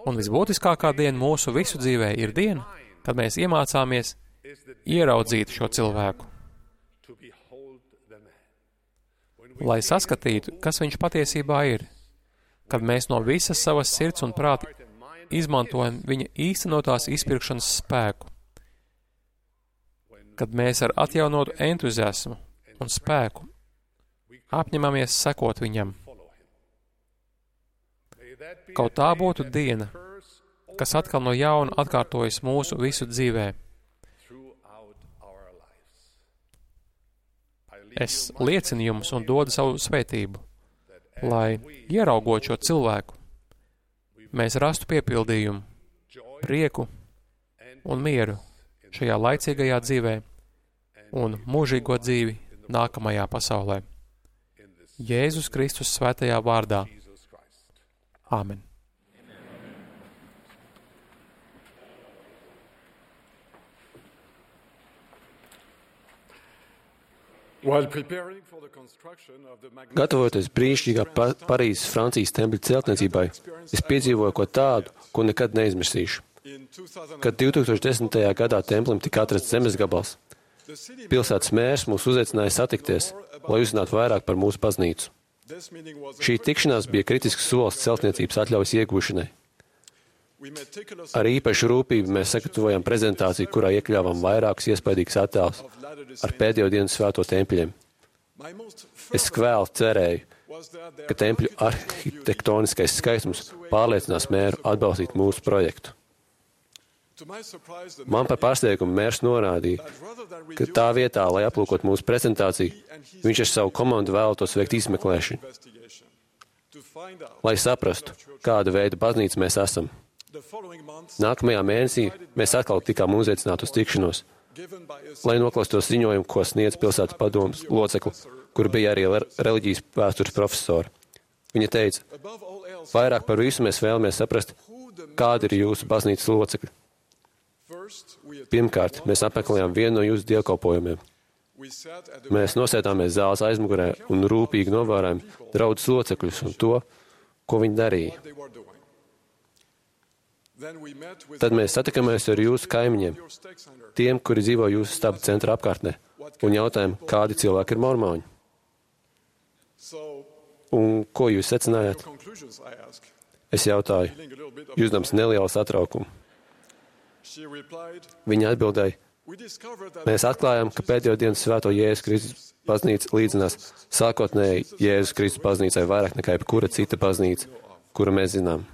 Un visbūtiskākā diena mūsu visu dzīvē ir diena, kad mēs iemācāmies ieraudzīt šo cilvēku, lai saskatītu, kas viņš patiesībā ir, kad mēs no visas savas sirds un prāta izmantojam viņa īstenotās izpirkšanas spēku, kad mēs ar atjaunotu entuziasmu un spēku apņemamies sekot viņam. Kaut tā būtu diena, kas atkal no jauna atkārtojas mūsu visu dzīvē. Es liecinu jums un dodu savu svētību, lai, ieraugot šo cilvēku, mēs rastu piepildījumu, prieku un mieru šajā laicīgajā dzīvē un mūžīgo dzīvi nākamajā pasaulē. Jēzus Kristus svētajā vārdā. Āmen. Gatavoties brīnišķīgā Parīzes Francijas tempļa celtniecībai, es piedzīvoju ko tādu, ko nekad neizmirsīšu. Kad 2010. gadā templim tika atrasts zemes gabals, pilsētas mērs mūs uzaicināja satikties, lai uzzinātu vairāk par mūsu baznīcu. Šī tikšanās bija kritisks solis celtniecības atļaujas iegūšanai. Ar īpašu rūpību mēs sagatavojam prezentāciju, kurā iekļāvām vairākus iespaidīgus attēlus ar pēdējo dienu svēto tempļiem. Es kvēli cerēju, ka tempļu arhitektoniskais skaistums pārliecinās mēru atbalstīt mūsu projektu. Man par pārsteigumu mērs norādīja, ka tā vietā, lai aplūkot mūsu prezentāciju, viņš ar savu komandu vēlētos veikt izmeklēšanu, lai saprastu, kāda veida baznīca mēs esam. Nākamajā mēnesī mēs atkal tikām uzaicināti uz tikšanos, lai noklaustos ziņojumu, ko sniedz pilsētas padomes locekli, kur bija arī reliģijas vēstures profesora. Viņa teica, vairāk par visu mēs vēlamies saprast, kādi ir jūsu baznīcas locekļi. Pirmkārt, mēs apmeklējām vienu no jūsu dievkalpojumiem. Mēs nosēdāmies zāles aizmugurē un rūpīgi novērojām draudzes locekļus un to, ko viņi darīja. Tad mēs satikāmies ar jūsu kaimiņiem, tiem, kuri dzīvo jūsu staba centra apkārtnē, un jautājām, kādi cilvēki ir mormoņi. Un ko jūs secinājāt? Es jautāju, jūsdams nelielu satraukumu. Viņa atbildēja, mēs atklājām, ka pēdējo dienu svēto Jēzus Kristus baznīca līdzinās sākotnēji Jēzus Kristus baznīcai vairāk nekā jebkura cita baznīca, kuru mēs zinām.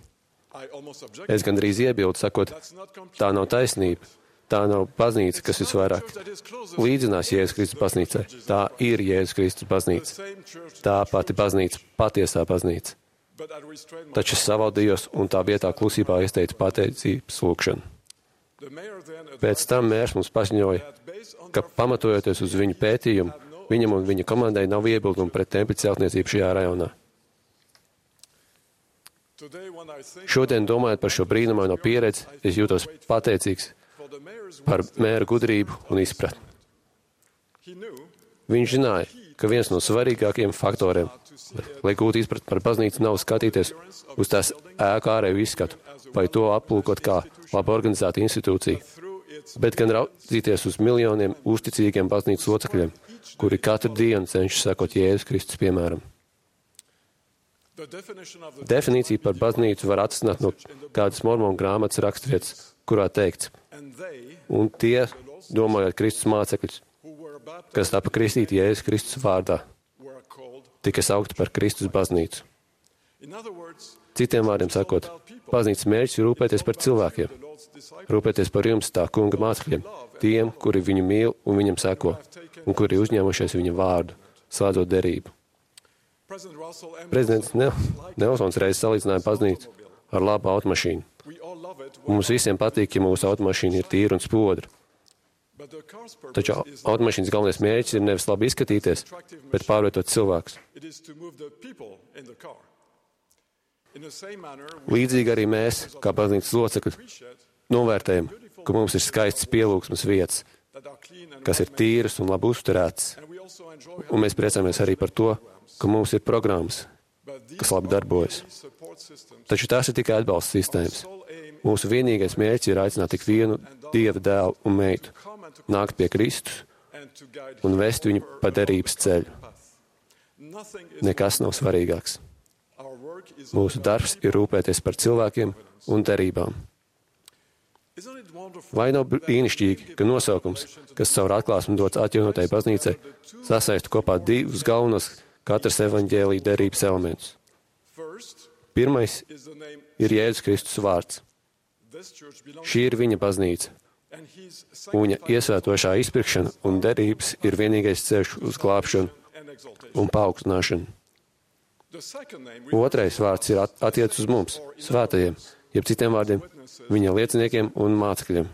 Es gandrīz iebildu, sakot, tā nav taisnība, tā nav baznīca, kas visvairāk līdzinās Jēzus Kristus baznīcai. Tā ir Jēzus Kristus baznīca. Tā pati baznīca, patiesā baznīca. Taču es savaldījos un tā vietā klusībā izteicu pateicības lūgšanu. Pēc tam mērs mums paziņoja, ka pamatojoties uz viņu pētījumu, viņam un viņa komandai nav iebildumu pret tempļa celtniecību šajā rajonā. Šodien, domājot par šo brīnumaino pieredzi, es jūtos pateicīgs par mēra gudrību un izpratni. Viņš zināja, ka viens no svarīgākajiem faktoriem, lai gūtu izpratni par baznīcu, nav skatīties uz tās ēku ārēju izskatu, vai to aplūkot kā labi organizēta institūcija, bet gan raudzīties uz miljoniem uzticīgiem baznīcas locekļiem, kuri katru dienu cenšas sekot Jēzus Kristus piemēram. Definīcija par baznīcu var atrisināt no kādas mormonu grāmatas raksturvietas, kurā teikts, un tie, domājot Kristus mācekļus, kas tapa kristīti Jēzus Kristus vārdā, tika saukti par Kristus baznīcu. Citiem vārdiem sakot, baznīcas mērķis ir rūpēties par cilvēkiem, rūpēties par jums, tā kunga mācekļiem, tiem, kuri viņu mīl un viņam seko, un kuri uzņēmušies viņa vārdu, slēdzot derību. Prezidents Nelsons reiz salīdzināja baznīcu ar labu automašīnu. Mums visiem patīk, ja mūsu automašīna ir tīra un spodra. Taču automašīnas galvenais mērķis ir nevis labi izskatīties, bet pārvietot cilvēkus. Līdzīgi arī mēs, kā baznīcas locekļi, novērtējam, ka mums ir skaists pielūgsmes vietas, kas ir tīras un labi uzturētas. Un mēs priecājamies arī par to, ka mums ir programmas, kas labi darbojas. Taču tās ir tikai atbalsta sistēmas. Mūsu vienīgais mērķis ir aicināt tik vienu Dieva dēlu un meitu, nākt pie Kristus un vest viņu pa derības ceļu. Nekas nav svarīgāks. Mūsu darbs ir rūpēties par cilvēkiem un derībām. Vai nav brīnišķīgi, ka nosaukums, kas caur atklāsmi dots atjaunotai baznīcai, sasaista kopā divus galvenos katras evaņģēlija derības elementus? Pirmais ir Jēzus Kristus vārds. Šī ir viņa baznīca. Viņa iesvētošā izpirkšana un derības ir vienīgais ceļš uz glābšanu un paaugstināšanu. Otrais vārds ir attiec uz mums, svētajiem, jeb citiem vārdiem, viņa lieciniekiem un mācekļiem.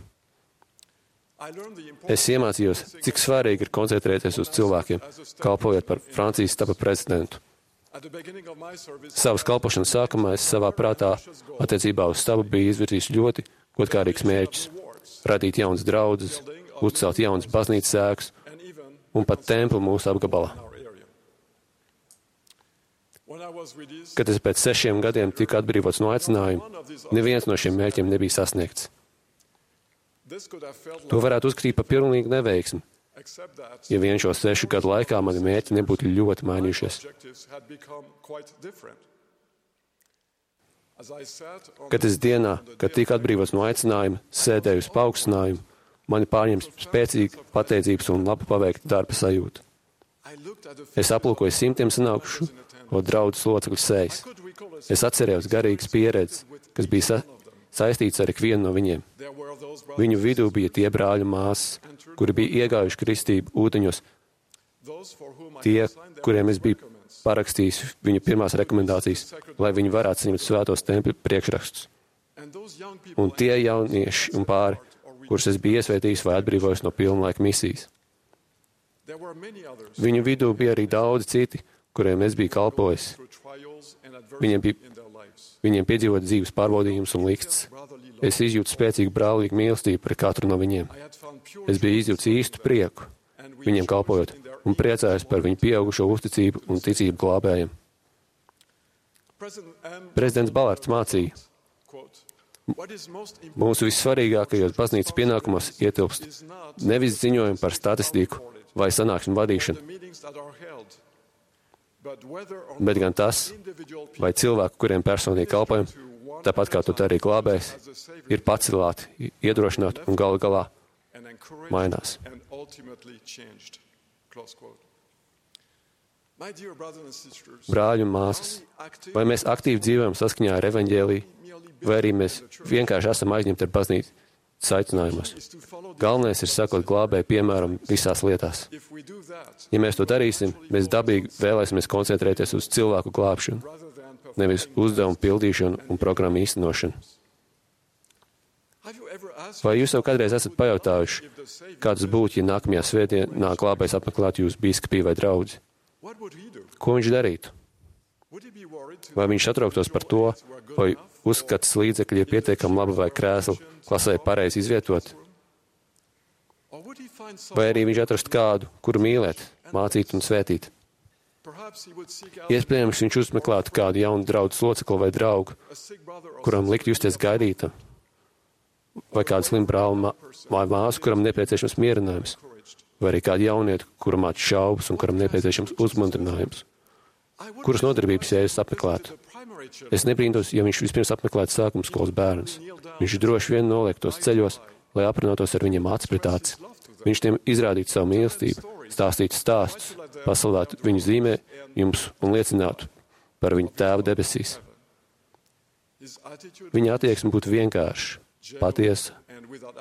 Es iemācījos, cik svarīgi ir koncentrēties uz cilvēkiem, kalpojot par Francijas tapa prezidentu. Savas kalpošanas sākumā es savā prātā attiecībā uz stabu biju izvirzījis ļoti godkārīgs mērķis - radīt jaunas draudzes, uzcelt jaunas baznīcas ēkas un pat templi mūsu apgabalā. Kad es pēc 6 gadiem tiku atbrīvots no aicinājuma, neviens no šiem mērķiem nebija sasniegts. To varētu uzskatīt par pilnīgu neveiksmi, ja vien šo 6 gadu laikā mani mērķi nebūtu ļoti mainījušies. Kad es dienā, kad tiku atbrīvots no aicinājuma, sēdēju uz paaugstinājumu, mani pārņems spēcīga pateicības un labi paveikta darba sajūta. Es aplūkoju simtiem sanākušu draudzes locekļu sejas. Es atcerējos garīgas pieredzes, kas bija saistīts ar ikvienu no viņiem. Viņu vidū bija tie brāļu māsas, kuri bija iegājuši kristību ūdeņos, tie, kuriem es biju parakstījis viņu pirmās rekomendācijas, lai viņi varētu saņemt svētos tempļu priekšrakstus. Un tie jaunieši un pāri, kurus es biju iesvētījis vai atbrīvojis no pilnlaika misijas. Viņu vidū bija arī daudzi citi, kuriem es biju kalpojis. Viņiem piedzīvot dzīves pārbaudījumus un liksts. Es izjūtu spēcīgu brālīgu mīlestību pret katru no viņiem. Es biju izjūts īstu prieku viņiem kalpojot un priecājos par viņu pieaugušo uzticību un ticību glābējiem. Prezidents Balards mācīja, mūsu vissvarīgākajos baznīcas pienākumos ietilpst nevis ziņojumi par statistiku vai sanāksmu vadīšanu, bet gan tas, vai cilvēki, kuriem personīgi kalpojam, tāpat kā tu arī glābējs, ir pacelāti, iedrošināti un galu galā mainās. Brāļi un māsas, vai mēs aktīvi dzīvojam saskaņā ar evaņģēliju, vai arī mēs vienkārši esam aizņemti ar baznīcas aicinājumos. Galvenais ir sekot glābēju piemēram visās lietās. Ja mēs to darīsim, mēs dabīgi vēlēsimies koncentrēties uz cilvēku glābšanu, nevis uzdevumu pildīšanu un programmu īstenošanu. Vai jūs jau kādreiz esat pajautājuši, kāds būtu, ja nākamajā svētdienā glābējs apmeklētu jūsu bīskapiju vai draudzi? Ko viņš darītu? Vai viņš satrauktos par to, vai uzskats līdzekļi ir pietiekami labi vai krēsli klasē pareizi izvietot? Vai arī viņš atrast kādu, kuru mīlēt, mācīt un svētīt? Iespējams, viņš uzmeklētu kādu jaunu draudzes locekli vai draugu, kuram likt justies gaidītam, vai kādu slimu brāli vai māsu, kuram nepieciešams mierinājums, vai arī kādu jaunietu, kuram māc šaubas un kuram nepieciešams uzmundrinājums. Kuras nodarbības Jēzus apmeklētu? Es nebrīntos, ja viņš vispirms apmeklētu sākuma skolas bērnus. Viņš droši vien noliektos ceļos, lai aprunātos ar viņiem aci pret aci. Viņš tiem izrādītu savu mīlestību, stāstītu stāstus, pasludinātu viņu zīmējumus un liecinātu par viņu tēvu debesīs. Viņa attieksme būtu vienkārša, patiesa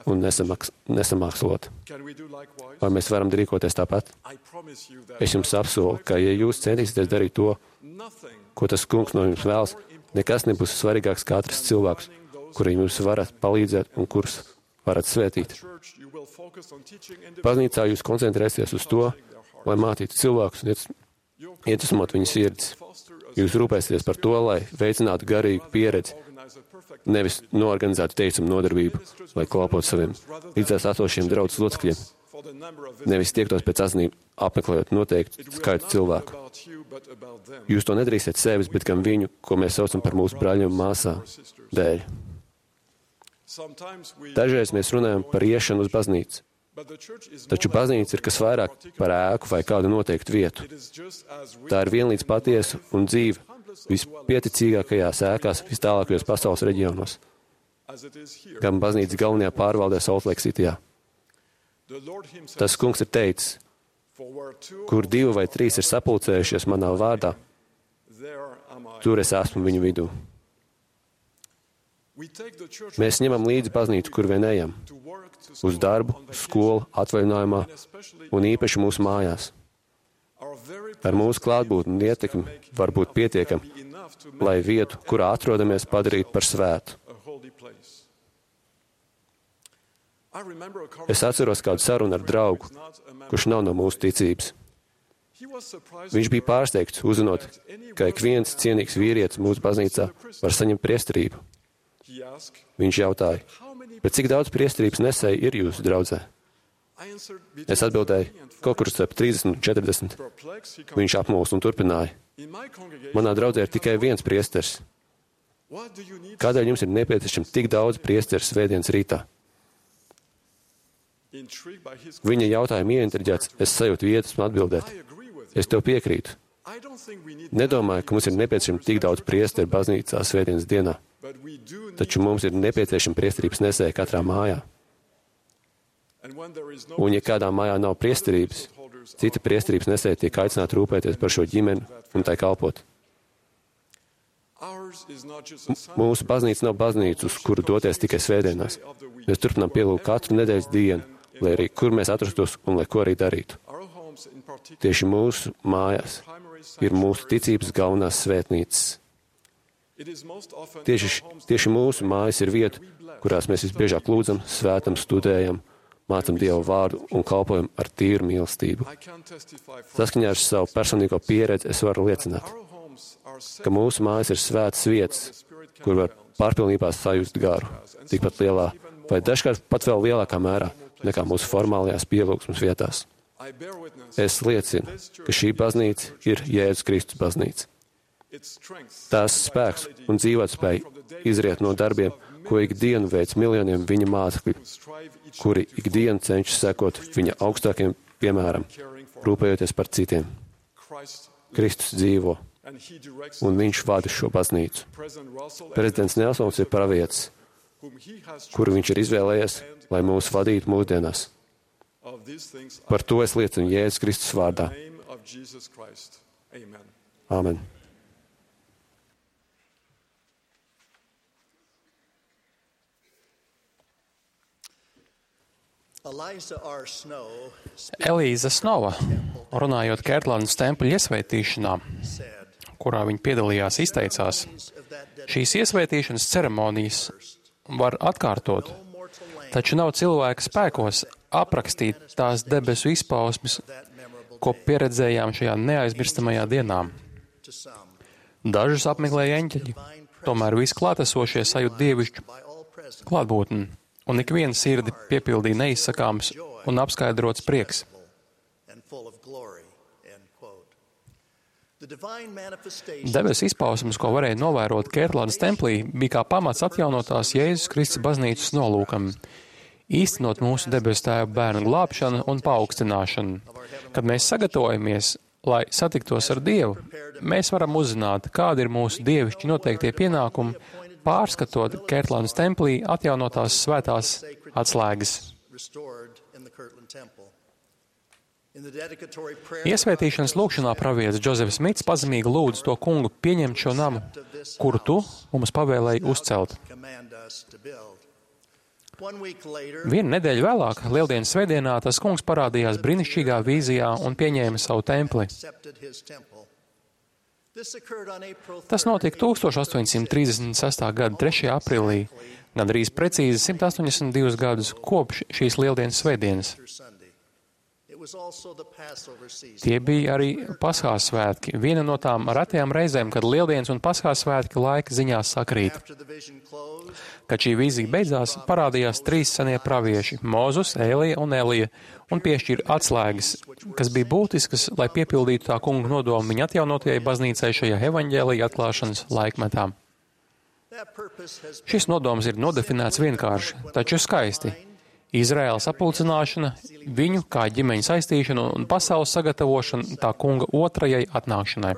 un nesamākslota. Vai mēs varam rīkoties tāpat? Es jums apsolu, ka, ja jūs centīsieties darīt to, ko tas kungs no jums vēlas, nekas nebūs svarīgāks kā atrast cilvēkus, kuriem jūs varat palīdzēt un kurus varat svētīt. Baznīcā jūs koncentrēsieties uz to, lai mācītu cilvēkus un iedvesmot viņu sirdis. Jūs rūpēsieties par to, lai veicinātu garīgu pieredzi, nevis noorganizētu teicamu nodarbību, lai kalpotu saviem līdzās esošiem draudzes locekļiem, nevis tiektos pēc azinību apmeklējot noteiktu skaitu cilvēku. Jūs to nedarīsiet sevis, bet gan viņu, ko mēs saucam par mūsu brāļiem un māsām, dēļ. Dažreiz mēs runājam par iešanu uz baznīcu, taču baznīca ir kas vairāk par ēku vai kādu noteiktu vietu. Tā ir vienlīdz patiesa un dzīva vispieticīgākajās ēkās vistālākajos pasaules reģionos, gan baznīcas galvenajā pārvaldē Salt Lake Cityjā. Tas kungs ir teicis, kur 2 vai 3 ir sapulcējušies manā vārdā, tur es esmu viņu vidū. Mēs ņemam līdzi baznīcu, kur vien ejam, uz darbu, skolu, atvaļinājumā un īpaši mūsu mājās. Ar mūsu klātbūtni un ietekmi var būt pietiekami, lai vietu, kurā atrodamies, padarītu par svētu. Es atceros kādu sarunu ar draugu, kurš nav no mūsu ticības. Viņš bija pārsteigts, uzzinot, ka ik viens cienīgs vīrietis mūsu baznīcā var saņemt priesterību. Viņš jautāja, bet cik daudz priesterības nesēji ir jūsu draudzē? Es atbildēju, kaut kur starp 30 un 40. Viņš apmulsa un turpināja. Manā draudzē ir tikai viens priesteris. Kādēļ jums ir nepieciešams tik daudz priesteru svētdienas rītā? Viņa jautājumu ieintriģēts, es sajūtu iedvesmu atbildēt. Es tev piekrītu. Nedomāju, ka mums ir nepieciešams tik daudz priesteru baznīcā svētdienas dienā, taču mums ir nepieciešama priesterības nesēja katrā mājā. Un ja kādā mājā nav priesterības, cita priesterības nesēja tiek aicināta rūpēties par šo ģimeni un tai kalpot. Mūsu baznīca nav baznīca, uz kuru doties tikai svētdienās. Mēs turpinām pielūgt katru nedēļas dienu, lai arī kur mēs atrastos un lai ko arī darītu. Tieši mūsu mājās ir mūsu ticības galvenās svētnīcas. Tieši mūsu mājas ir vieta, kurās mēs visbiežāk lūdzam, svētam, studējam, mācam Dievu vārdu un kalpojam ar tīru mīlestību. Saskaņā ar savu personīgo pieredzi es varu liecināt, ka mūsu mājas ir svētas vietas, kur var pārpilnībā sajust garu, tikpat lielā vai dažkārt pat vēl lielākā mērā nekā mūsu formālajās pielūgsmes vietās. Es liecinu, ka šī baznīca ir Jēzus Kristus baznīca. Tās spēks un dzīvotspēja izriet no darbiem, ko ikdienu veic miljoniem viņa mācekļu, kuri ikdienu cenšas sekot viņa augstākiem piemēram, rūpējoties par citiem. Kristus dzīvo, un viņš vada šo baznīcu. Prezidents Nelsons ir pravietis, kuru viņš ir izvēlējies, lai mūs vadītu mūsdienās. Par to es liecinu Jēzus Kristus vārdā. Āmen. Elīza Snova, runājot Kērtlandes tempļa iesvētīšanā, kurā viņa piedalījās, izteicās, šīs iesvētīšanas ceremonijas var atkārtot, taču nav cilvēka spēkos aprakstīt tās debesu izpausmes, ko pieredzējām šajā neaizmirstamajā dienā. Dažus apmeklēja eņķeļi, tomēr visklātesošie sajūt dievišķu klātbūtni, un ikviena sirdi piepildīja neizsakāms un apskaidrots prieks. Debesu izpausmes, ko varēja novērot Kērtlandes templī, bija kā pamats atjaunotās Jēzus Kristus baznīcas nolūkam, īstenot mūsu debesu Tēva bērnu glābšanu un paaugstināšanu. Kad mēs sagatavojamies, lai satiktos ar Dievu, mēs varam uzzināt, kādi ir mūsu dievišķi noteiktie pienākumi, pārskatot Kērtlandes templī atjaunotās svētās atslēgas. Iesvētīšanas lūgšanā pravietis Džozefs Smits pazemīgi lūdz to kungu pieņemt šo namu, kuru tu mums pavēlēji uzcelt. Vienu nedēļu vēlāk, Lieldienas svētdienā, tas kungs parādījās brīnišķīgā vīzijā un pieņēma savu templi. Tas notika 1836. gada 3. aprīlī, gandrīz precīzi 182 gadus kopš šīs Lieldienas svētdienas. Tie bija arī Paskās svētki, viena no tām retajām reizēm, kad Lieldienas un Paskās svētki laika ziņās sakrīt. Kad šī vīzija beidzās, parādījās 3 senie pravieši – Mozus, Ēlija un Elija, un piešķīra atslēgas, kas bija būtiskas, lai piepildītu tā kunga nodomu viņa atjaunotajai baznīcai šajā evaņģēlija atklāšanas laikmetā. Šis nodoms ir nodefinēts vienkārši, taču skaisti. Izraēlas apulcināšana, viņu kā ģimeņa saistīšana un pasaules sagatavošana tā kunga otrajai atnākšanai.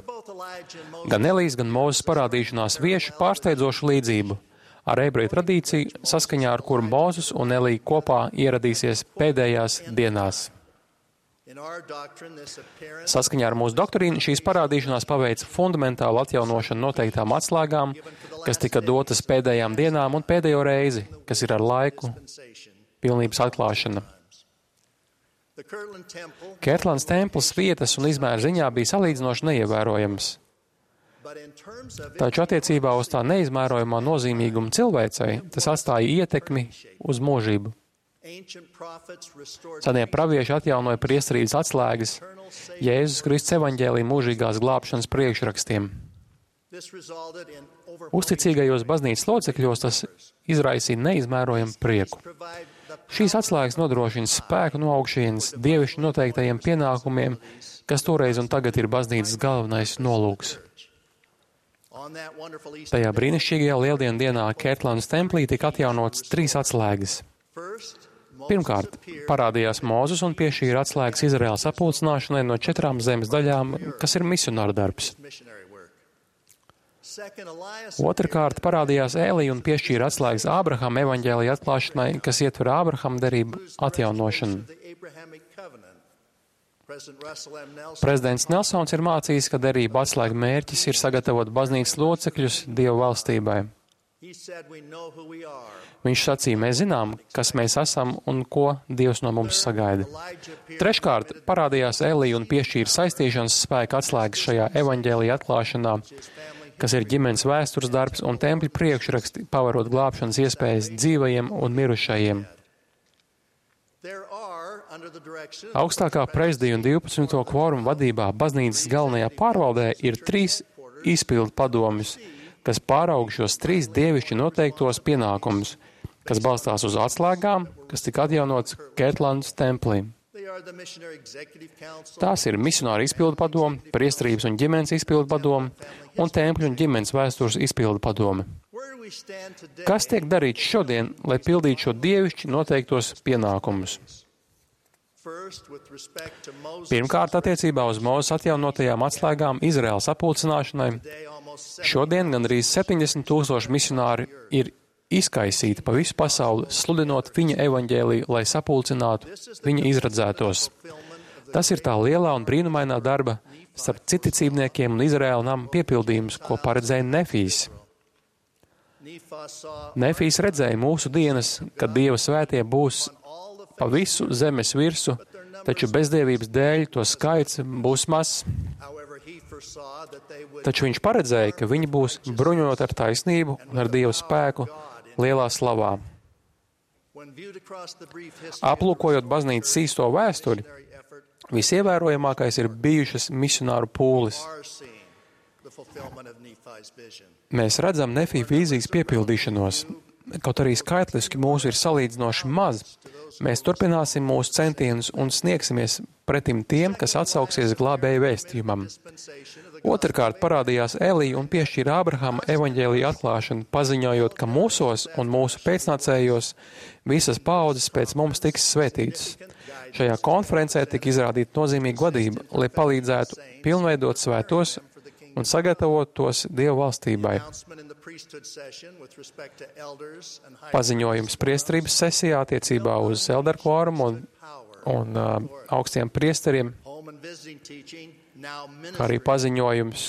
Gan Elijas, gan Mūzes parādīšanās vieš pārsteidzošu līdzību ar ebreju tradīciju, saskaņā ar kuru Mūzes un Elija kopā ieradīsies pēdējās dienās. Saskaņā ar mūsu doktrīnu šīs parādīšanās paveica fundamentālu atjaunošanu noteiktām atslēgām, kas tika dotas pēdējām dienām un pēdējo reizi, kas ir ar laiku pilnības atklāšana. Kērtlandes templis vietas un izmēra ziņā bija salīdzinoši neievērojams. Taču attiecībā uz tā neizmērojamā nozīmīguma cilvēcei tas atstāja ietekmi uz mūžību. Senie pravieši atjaunoja priesterības atslēgas Jēzus Kristus evaņģēlija mūžīgās glābšanas priekšrakstiem. Uzticīgajos baznīcas locekļos tas izraisīja neizmērojamu prieku. Šīs atslēgas nodrošina spēku no augšienes dievišķi noteiktajiem pienākumiem, kas toreiz un tagad ir baznīcas galvenais nolūks. Tajā brīnišķīgajā Lieldienu dienā Kērtlandes templī tika atjaunotas 3 atslēgas. Pirmkārt, parādījās Mūzes un piešķīra atslēgas Izraēlas apulcināšanai no 4 zemes daļām, kas ir misionāra darbs. Otrkārt, parādījās Ēlija un piešķīra atslēgas Ābrahama evaņģēlija atklāšanai, kas ietver Ābrahama derību atjaunošanu. Prezidents Nelsons ir mācījis, ka derību atslēga mērķis ir sagatavot baznīcas locekļus Dieva valstībai. Viņš sacīja, mēs zinām, kas mēs esam un ko Dievs no mums sagaida. Treškārt, parādījās Ēlija un piešķīra saistīšanas spēka atslēgas šajā evaņģēlija atklāšanā, kas ir ģimenes vēstures darbs un tempļa priekšraksti, pavarot glābšanas iespējas dzīvajiem un mirušajiem. Augstākā prezidija un 12. kvoruma vadībā baznīcas galvenajā pārvaldē ir 3 izpildu padomjus, kas pāraug šos 3 dievišķi noteiktos pienākumus, kas balstās uz atslēgām, kas tika atjaunots Kērtlandes templī. Tās ir misionāra izpildu padome, priesterības un ģimenes izpildu padome un tempļu un ģimenes vēstures izpildu padome. Kas tiek darīts šodien, lai pildītu šo dievišķi noteiktos pienākumus? Pirmkārt, attiecībā uz Mūzes atjaunotajām atslēgām Izraēlas apulcināšanai, šodien gandrīz 70,000 misionāri ir izkaisīti pa visu pasauli, sludinot viņa evaņģēliju, lai sapulcinātu viņa izradzētos. Tas ir tā lielā un brīnumainā darba starp citicībniekiem un Izraēla nama piepildījums, ko paredzēja Nefijs. Nefijs redzēja mūsu dienas, kad Dieva svētie būs pa visu zemes virsu, taču bezdievības dēļ to skaits būs mazs. Taču viņš paredzēja, ka viņi būs bruņot ar taisnību un ar Dieva spēku lielā slavā. Aplūkojot baznīcas īsto vēsturi, visievērojamākais ir bijušas misionāru pūles. Mēs redzam Nefija vīzijas piepildīšanos. Kaut arī skaitliski mūsu ir salīdzinoši maz, mēs turpināsim mūsu centienus un sniegsimies pretim tiem, kas atsauksies glābēju vēstījumam. Otrkārt parādījās Elija un piešķīra Ābrahama evaņģēlija atklāšanu, paziņojot, ka mūsos un mūsu pēcnācējos visas paaudzes pēc mums tiks svētītas. Šajā konferencē tika izrādīta nozīmīga vadība, lai palīdzētu pilnveidot svētos un sagatavot tos Dievu valstībai. Paziņojums priesterības sesijā attiecībā uz elderkvorumu un augstiem priesteriem, kā arī paziņojums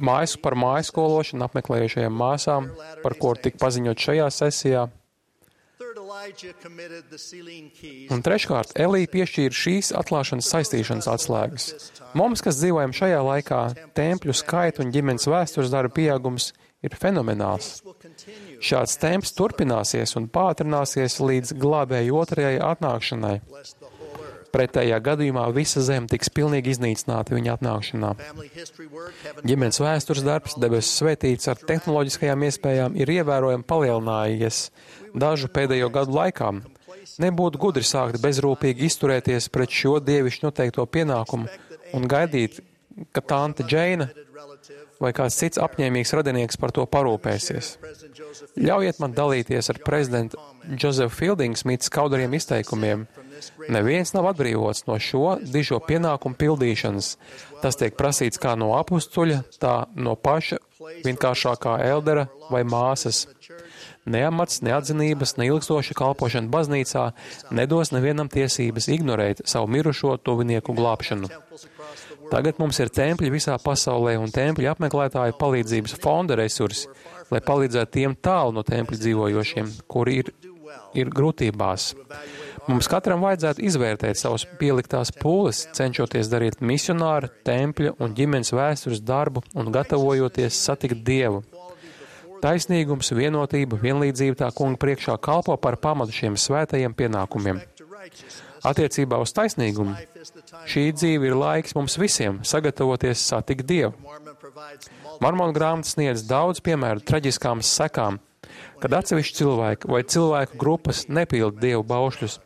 mājas par mājaskološanu apmeklējušajām māsām, par ko tika paziņot šajā sesijā. Un treškārt, Elija piešķīra šīs atklāšanas saistīšanas atslēgas. Mums, kas dzīvojam šajā laikā, tempļu skaitu un ģimenes vēstures darba pieaugums ir fenomenāls. Šāds temps turpināsies un pātrināsies līdz glābēju otrajai atnākšanai. Pretējā gadījumā visa zeme tiks pilnīgi iznīcināta viņa atnākšanā. Ģimenes vēstures darbs, debesu svētīts ar tehnoloģiskajām iespējām, ir ievērojami palielinājies dažu pēdējo gadu laikā. Nebūtu gudri sākt bezrūpīgi izturēties pret šo dievišķi noteikto pienākumu un gaidīt, ka tante Džeina vai kāds cits apņēmīgs radinieks par to parūpēsies. Ļaujiet man dalīties ar prezidentu Josefu Fielding Smita skaudariem izteikumiem. Neviens nav atbrīvots no šo dižo pienākumu pildīšanas. Tas tiek prasīts kā no apustuļa, tā no paša vienkāršākā eldera vai māsas. Neamats, neatzinības, neilgstoša kalpošana baznīcā nedos nevienam tiesības ignorēt savu mirušo tuvinieku glābšanu. Tagad mums ir tempļi visā pasaulē un tempļu apmeklētāju palīdzības fonda resursi, lai palīdzētu tiem tālu no tempļu dzīvojošiem, kuri ir grūtībās. Mums katram vajadzētu izvērtēt savus pieliktās pūles, cenšoties darīt misionāra, tempļa un ģimenes vēstures darbu un gatavojoties satikt Dievu. Taisnīgums, vienotība, vienlīdzība tā kunga priekšā kalpo par pamatu šiem svētajiem pienākumiem. Attiecībā uz taisnīgumu šī dzīve ir laiks mums visiem sagatavoties satikt Dievu. Mormonu grāmata sniedz daudz piemēru traģiskām sekām, kad atsevišķi cilvēki vai cilvēku grupas nepilda Dievu baušļus.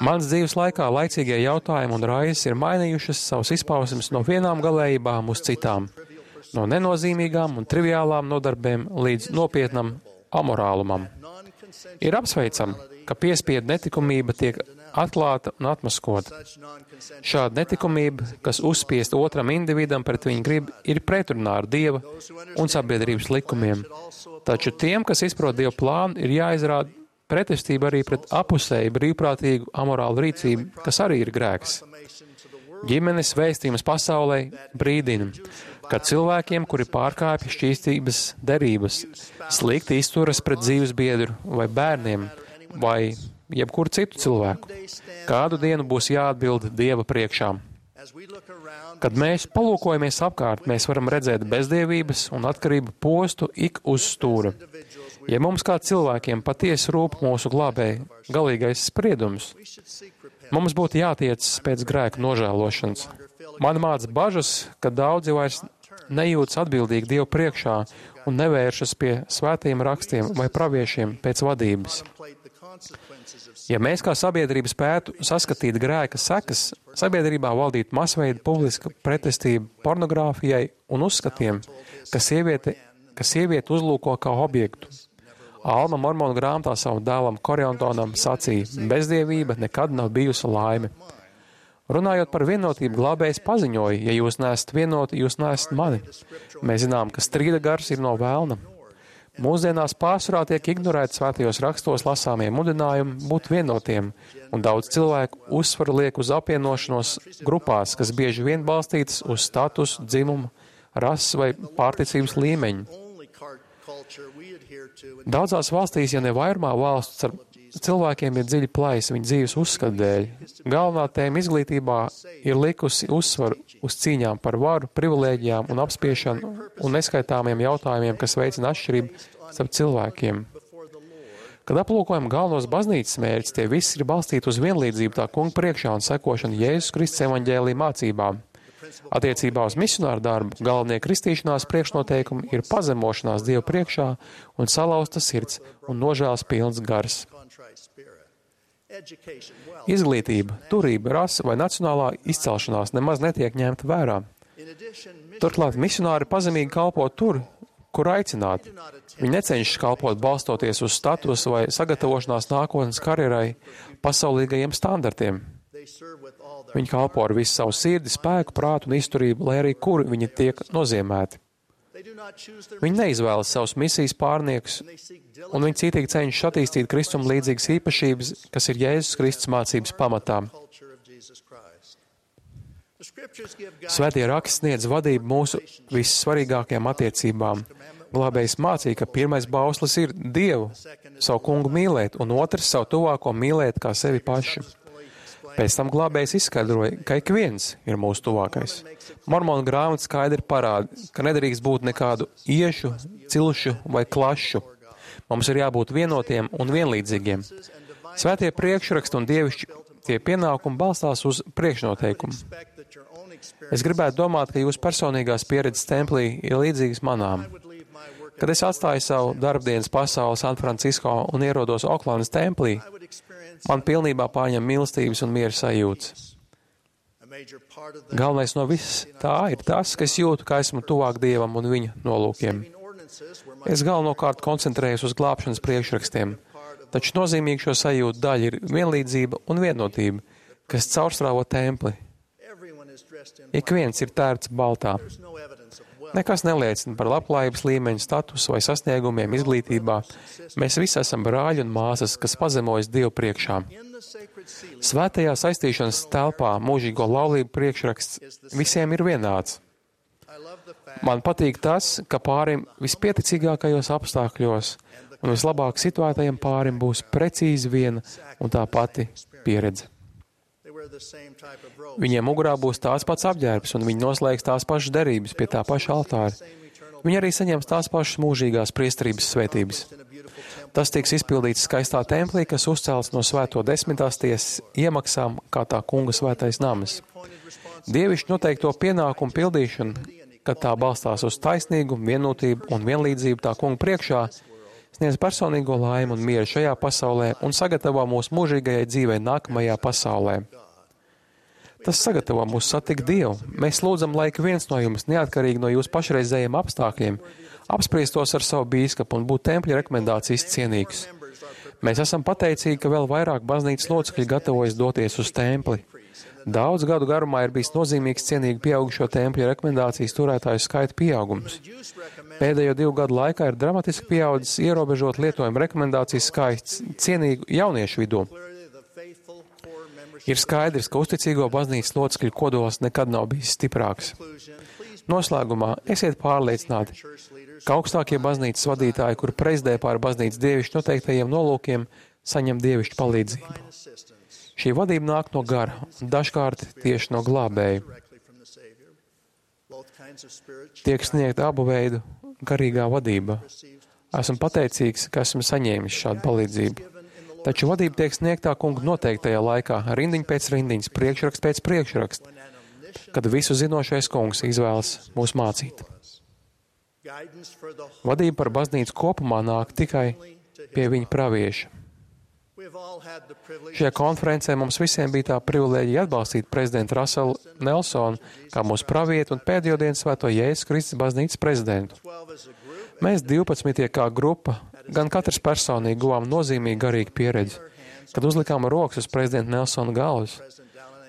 Mans dzīves laikā laicīgie jautājumi un raizes ir mainījušas savus izpausmes no vienām galējībām uz citām, no nenozīmīgām un triviālām nodarbēm līdz nopietnam amorālumam. Ir apsveicami, ka piespiedu netikumība tiek atklāta un atmaskota. Šāda netikumība, kas uzspiest otram individam pret viņu gribu, ir pretrunā ar Dieva un sabiedrības likumiem. Taču tiem, kas izprot Dieva plānu, ir jāizrāda pretestība arī pret apusēju brīvprātīgu amorālu rīcību, kas arī ir grēks. Ģimenes vēstījums pasaulē brīdina, ka cilvēkiem, kuri pārkāpja šķīstības derības, slikti izturas pret dzīves biedru vai bērniem vai jebkuru citu cilvēku, kādu dienu būs jāatbild Dieva priekšā. Kad mēs palūkojamies apkārt, mēs varam redzēt bezdievības un atkarību postu ik uz stūra. Ja mums kā cilvēkiem patiesi rūp mūsu glābēja galīgais spriedums, mums būtu jātiecas pēc grēka nožēlošanas. Man māca bažas, ka daudzi vairs nejūtas atbildīgi Dievu priekšā un nevēršas pie svētajiem rakstiem vai praviešiem pēc vadības. Ja mēs kā sabiedrība spētu saskatīt grēka sekas, sabiedrībā valdītu masveida publiska pretestība pornogrāfijai un uzskatiem, ka sievieti uzlūko kā objektu. Alma Mormonu grāmatā savam dēlam Koriontonam sacīja: bezdievība nekad nav bijusi laime. Runājot par vienotību, glābējs paziņoja: ja jūs neesat vienoti, jūs neesat mani. Mēs zinām, ka strīda gars ir no vēlna. Mūsdienās pārsvarā tiek ignorēti svētajos rakstos lasāmie mudinājumi būt vienotiem, un daudz cilvēku uzsvaru liek uz apvienošanos grupās, kas bieži vien balstītas uz statusu, dzimumu, rases vai pārticības līmeņu. Daudzās valstīs, ja ne vairumā valsts, ar cilvēkiem ir dziļi plaisa viņu dzīves uzskatu dēļ. Galvenā tēma izglītībā ir likusi uzsvaru uz cīņām par varu, privilēģijām un apspiešanu un neskaitāmiem jautājumiem, kas veicina atšķirību starp cilvēkiem. Kad aplūkojam galvenos baznīcas mērķus, tie visi ir balstīti uz vienlīdzību tā kunga priekšā un sekošanu Jēzus Kristus evaņģēlija mācībām. Attiecībā uz misionāru darbu galvenie kristīšanās priekšnoteikumi ir pazemošanās Dievu priekšā un salauzta sirds un nožēlas pilns gars. Izglītība, turība, rasa vai nacionālā izcelšanās nemaz netiek ņemta vērā. Turklāt misionāri pazemīgi kalpo tur, kur aicināti. Viņi necenšas kalpot balstoties uz statusu vai sagatavošanās nākotnes karjerai pasaulīgajiem standartiem. Viņi kalpo ar visu savu sirdi, spēku, prātu un izturību, lai arī kur viņi tiek nozīmēti. Viņi neizvēlas savus misijas pārniekus, un viņi cītīgi cenšas attīstīt Kristum līdzīgas īpašības, kas ir Jēzus Kristus mācības pamatā. Svētie raksti sniedz vadību mūsu vissvarīgākajām attiecībām. Glābējs mācīja, ka pirmais bauslis ir Dievu, savu kungu mīlēt, un otrs savu tuvāko mīlēt kā sevi pašu. Pēc tam glābējs izskaidroja, ka ik viens ir mūsu tuvākais. Mormona grāmata skaidri parāda, ka nedrīkst būt nekādu iešu, cilšu vai klašu. Mums ir jābūt vienotiem un vienlīdzīgiem. Svētie priekšraksti un dievišķi tie pienākumi balstās uz priekšnoteikumu. Es gribētu domāt, ka jūsu personīgās pieredzes templī ir līdzīgas manām. Kad es atstāju savu darbdienas pasauli San Francisco un ierodos Oklandas templī, man pilnībā pārņem mīlestības un miera sajūtas. Galvenais no viss tā ir tas, ka es jūtu, ka esmu tuvāk Dievam un viņa nolūkiem. Es galvenokārt koncentrējos uz glābšanas priekšrakstiem, taču nozīmīgi šo sajūtu daļa ir vienlīdzība un vienotība, kas caurstrāvo templi. Ik viens ir tērts baltā. Nekas neliecina par labklājības līmeņu, statusu vai sasniegumiem izglītībā. Mēs visi esam brāļi un māsas, kas pazemojas Dievu priekšā. Svētajā saistīšanas telpā mūžīgo laulību priekšraksts visiem ir vienāds. Man patīk tas, ka pārim vispieticīgākajos apstākļos un vislabāk situētajam pārim būs precīzi viena un tā pati pieredze. Viņiem mugurā būs tās pats apģērbs, un viņi noslēgs tās pašas derības pie tā paša altāra. Viņi arī saņems tās pašas mūžīgās priesterības svētības. Tas tiks izpildīts skaistā templī, kas uzcēlts no svēto desmitās tiesas iemaksām kā tā kunga svētais namas. Dievišķi noteikto pienākumu pildīšana, kad tā balstās uz taisnīgumu, vienotību un vienlīdzību tā kunga priekšā, sniedz personīgo laimu un mieru šajā pasaulē un sagatavo mūsu mūžīgajai dzīvei nākamajā pasaulē. Tas sagatavo mūs satikt Dievu. Mēs lūdzam, lai ik viens no jums, neatkarīgi no jūsu pašreizējiem apstākļiem, apspriestos ar savu bīskapu un būtu tempļa rekomendācijas cienīgs. Mēs esam pateicīgi, ka vēl vairāk baznīcas locekļi gatavojas doties uz templi. Daudz gadu garumā ir bijis nozīmīgs cienīgi pieaugušo tempļa rekomendācijas turētāju skaita pieaugums. Pēdējo 2 gadu laikā ir dramatiski pieaudzis ierobežot lietojumu rekomendācijas skaits cienīgu jauniešu vidū. Ir skaidrs, ka uzticīgo baznīcas locekļu kodols nekad nav bijis stiprāks. Noslēgumā esiet pārliecināti, ka augstākie baznīcas vadītāji, kuri prezidē pār baznīcas dievišķi noteiktajiem nolūkiem, saņem dievišķu palīdzību. Šī vadība nāk no gara, un dažkārt tieši no glābēja. Tiek sniegta abu veidu garīgā vadība. Esmu pateicīgs, ka esmu saņēmis šādu palīdzību. Taču vadība tiek sniegtā kunga noteiktajā laikā, rindiņa pēc rindiņas, priekšraksts pēc priekšraksta, kad visu zinošais kungs izvēlas mūs mācīt. Vadība par baznīcu kopumā nāk tikai pie viņa pravieša. Šajā konferencē mums visiem bija tā privilēģija atbalstīt prezidentu Russellu Nelsonu kā mūsu pravietu un pēdējo dienu svēto Jēzus Kristus baznīcas prezidentu. Mēs 12 kā grupa, gan katrs personīgi guvām nozīmīgi garīgu pieredzi, kad uzlikām rokas uz prezidenta Nelsona galvas,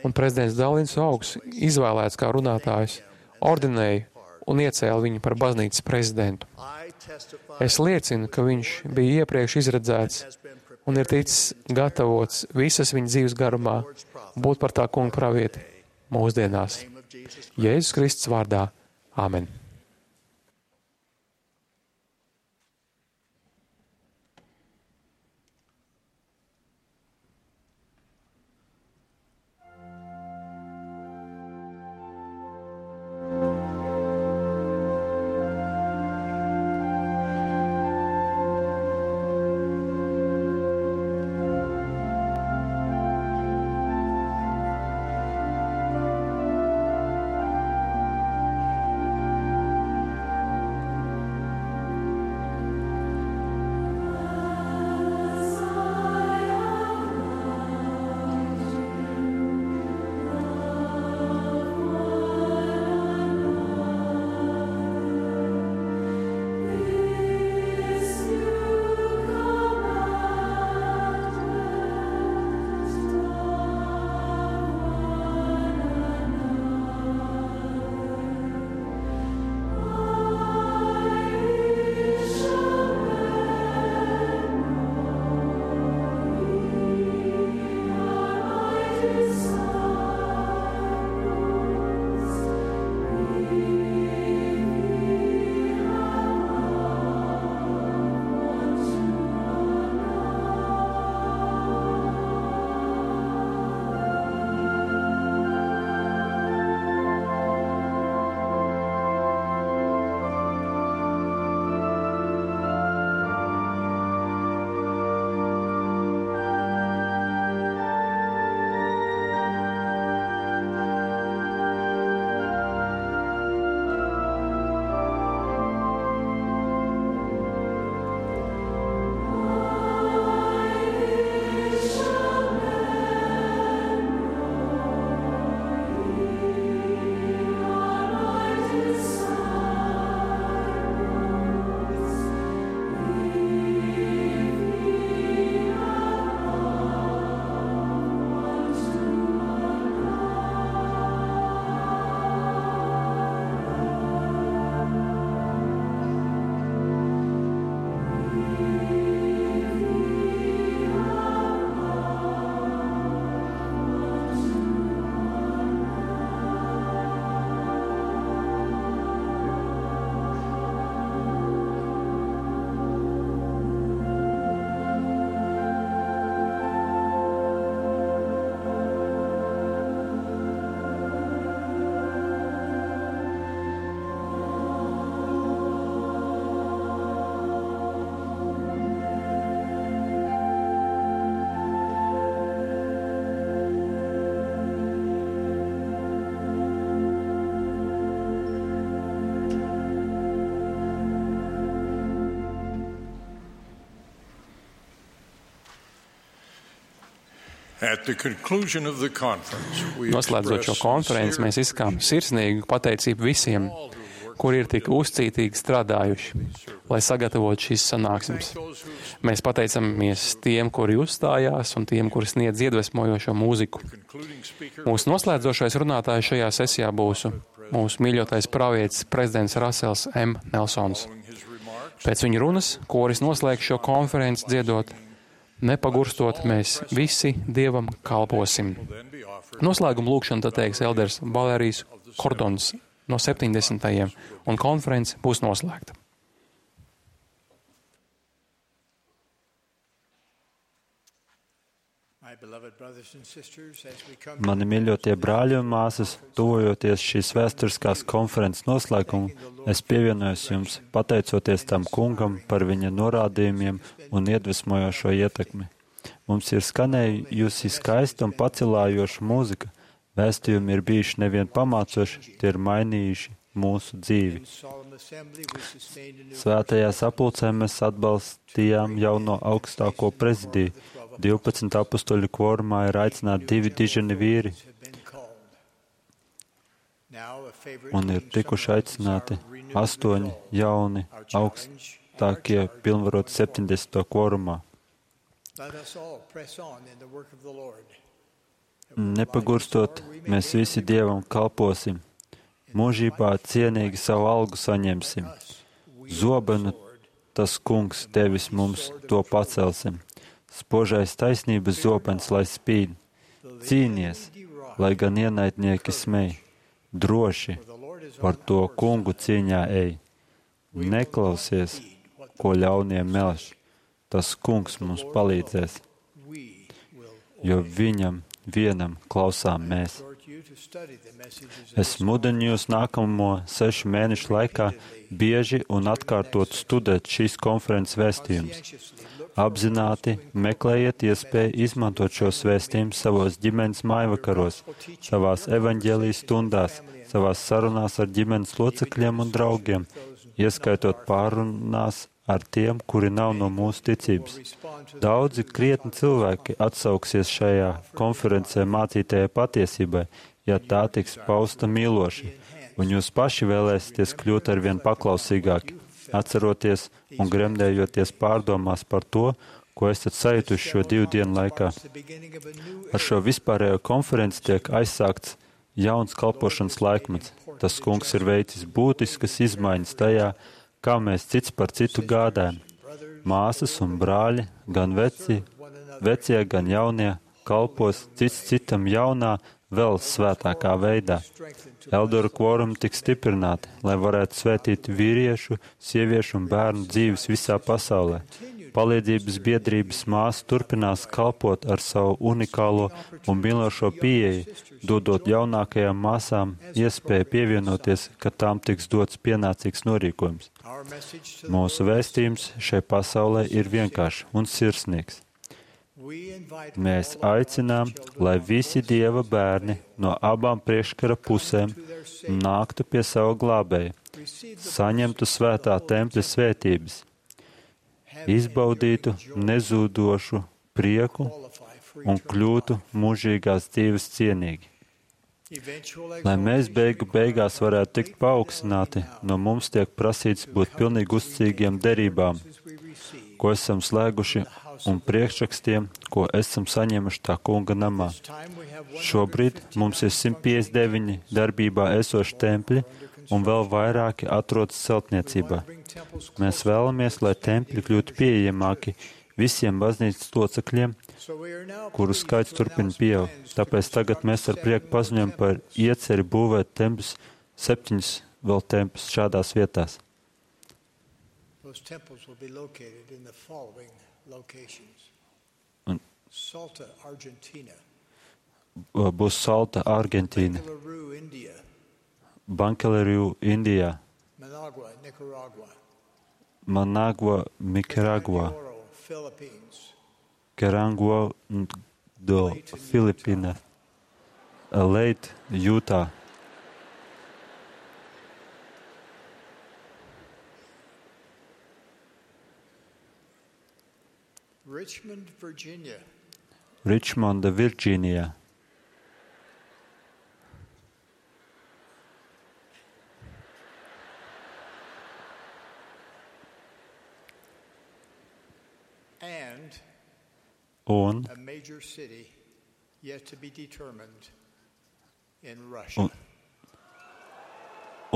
un prezidents Dalins Augs, izvēlēts kā runātājs, ordinēja un iecēla viņu par baznīcas prezidentu. Es liecinu, ka viņš bija iepriekš izredzēts un ir ticis gatavots visas viņa dzīves garumā būt par tā kunga pravieti mūsdienās. Jēzus Kristus vārdā. Āmen. Noslēdzot šo konferenci, mēs izsakām sirsnīgu pateicību visiem, kuri ir tik uzcītīgi strādājuši, lai sagatavotu šīs sanāksmes. Mēs pateicamies tiem, kuri uzstājās, un tiem, kuri sniedz iedvesmojošo mūziku. Mūsu noslēdzošais runātājs šajā sesijā būs mūsu mīļotais pravietis prezidents Rasels M. Nelsons. Pēc viņa runas koris noslēgs šo konferenci dziedot: Nepagurstot, mēs visi Dievam kalposim. Noslēguma lūkšanu tad teiks elders Valērijs Kordons no 70. un konference būs noslēgta. Mani mīļotie brāļi un māsas, tuvojoties šīs vēsturiskās konferences noslēgumu, es pievienojos jums, pateicoties tam kungam par viņa norādījumiem un iedvesmojošo ietekmi. Mums ir skanējusi skaista un pacilājoša mūzika. Vēstījumi ir bijuši nevien pamācoši, tie ir mainījuši mūsu dzīvi. Svētajā sapulcē mēs atbalstījām jauno augstāko prezidiju. 12 apustuļu kvorumā ir aicināti 2 diženi vīri, un ir tikuši aicināti 8 jauni augstākie pilnvaroti 70. kvorumā. Nepagurstot, mēs visi Dievam kalposim, mūžībā cienīgi savu algu saņemsim. Zobenu tas kungs tevis mums to pacelsim. Spožais taisnības zobens, lai spīd. Cīnies, lai gan ienaidnieki smej. Droši par to kungu cīņā ej. Neklausies, ko ļaunie melš. Tas kungs mums palīdzēs, jo viņam vienam klausām mēs. Es mudinu jūs nākamo 6 mēnešu laikā bieži un atkārtot studēt šīs konferences vēstījumus. Apzināti meklējiet iespēju izmantot šos vēstījumus savos ģimenes mājvakaros, savās evaņģēlijas stundās, savās sarunās ar ģimenes locekļiem un draugiem, ieskaitot pārunās ar tiem, kuri nav no mūsu ticības. Daudzi krietni cilvēki atsauksies šajā konferencē mācītajai patiesībai, ja tā tiks pausta mīloši, un jūs paši vēlēsieties kļūt arvien paklausīgāki, atceroties un gremdējoties pārdomās par to, ko esat sajutuši šo 2 dienu laikā. Ar šo vispārējo konferenci tiek aizsākts jauns kalpošanas laikmets. Tas kungs ir veicis būtiskas izmaiņas tajā, kā mēs cits par citu gādājam. Māsas un brāļi, gan vecie, gan jaunie, kalpos cits citam jaunā, vēl svētākā veidā. Eldoru kvorumi tiks stiprināti, lai varētu svētīt vīriešu, sieviešu un bērnu dzīves visā pasaulē. Palīdzības biedrības māsa turpinās kalpot ar savu unikālo un mīlošo pieeju, dodot jaunākajām māsām iespēju pievienoties, kad tām tiks dots pienācīgs norīkojums. Mūsu vēstījums šai pasaulē ir vienkāršs un sirsnīgs. Mēs aicinām, lai visi Dieva bērni no abām priekškara pusēm nāktu pie sava glābēja, saņemtu svētā tempļa svētības, izbaudītu nezūdošu prieku un kļūtu mūžīgās dzīves cienīgi. Lai mēs beigās varētu tikt paaugstināti, no mums tiek prasīts būt pilnīgi uzticīgiem derībām, ko esam slēguši, un priekšrakstiem, ko esam saņēmuši tā kunga namā. Šobrīd mums ir 159 darbībā esoši tempļi, un vēl vairāki atrodas celtniecībā. Mēs vēlamies, lai tempļi kļūtu pieejamāki visiem baznīcas locekļiem, kuru skaits turpina pieaugt. Tāpēc tagad mēs ar prieku paziņojam par ieceri būvēt tempļus, 7 vēl tempļus šādās vietās. Būs Salta, Argentīna, Bankeleriju, Indijā, Managua, Nikaragua, Kerangua, Filipīna, Leit, Jūtā. Ričmonda, Virģīnijā.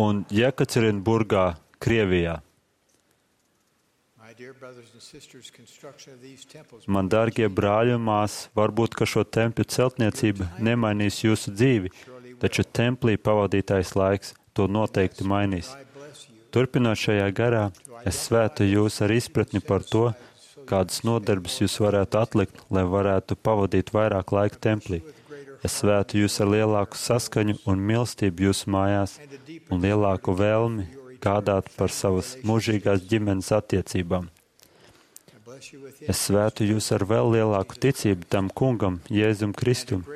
Un Jekaterinburgā, Krievijā. Man dārgie brāļi un māsas, varbūt, ka šo tempļu celtniecība nemainīs jūsu dzīvi, taču templī pavadītais laiks to noteikti mainīs. Turpinot šajā garā, es svētu jūs ar izpratni par to, kādas nodarbes jūs varētu atlikt, lai varētu pavadīt vairāk laika templī. Es svētu jūs ar lielāku saskaņu un mīlestību jūsu mājās un lielāku vēlmi gādāt par savas mūžīgās ģimenes attiecībām. Es svētu jūs ar vēl lielāku ticību tam kungam, Jēzum Kristum,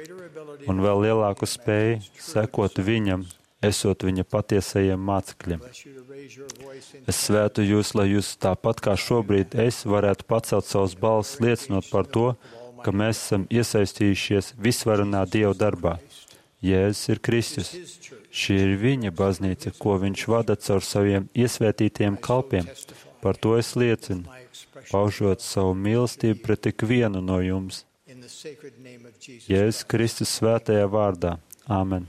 un vēl lielāku spēju sekot viņam, esot viņa patiesajiem mācekļiem. Es svētu jūs, lai jūs tāpat kā šobrīd es varētu pacelt savus balsis liecinot par to, ka mēs esam iesaistījušies visvarenā Dieva darbā. Jēzus ir Kristus. Šī ir viņa baznīca, ko viņš vada caur saviem iesvētītiem kalpiem. Par to es liecinu, paužot savu mīlestību pret ikvienu no jums. Jēzus Kristus svētajā vārdā. Āmen.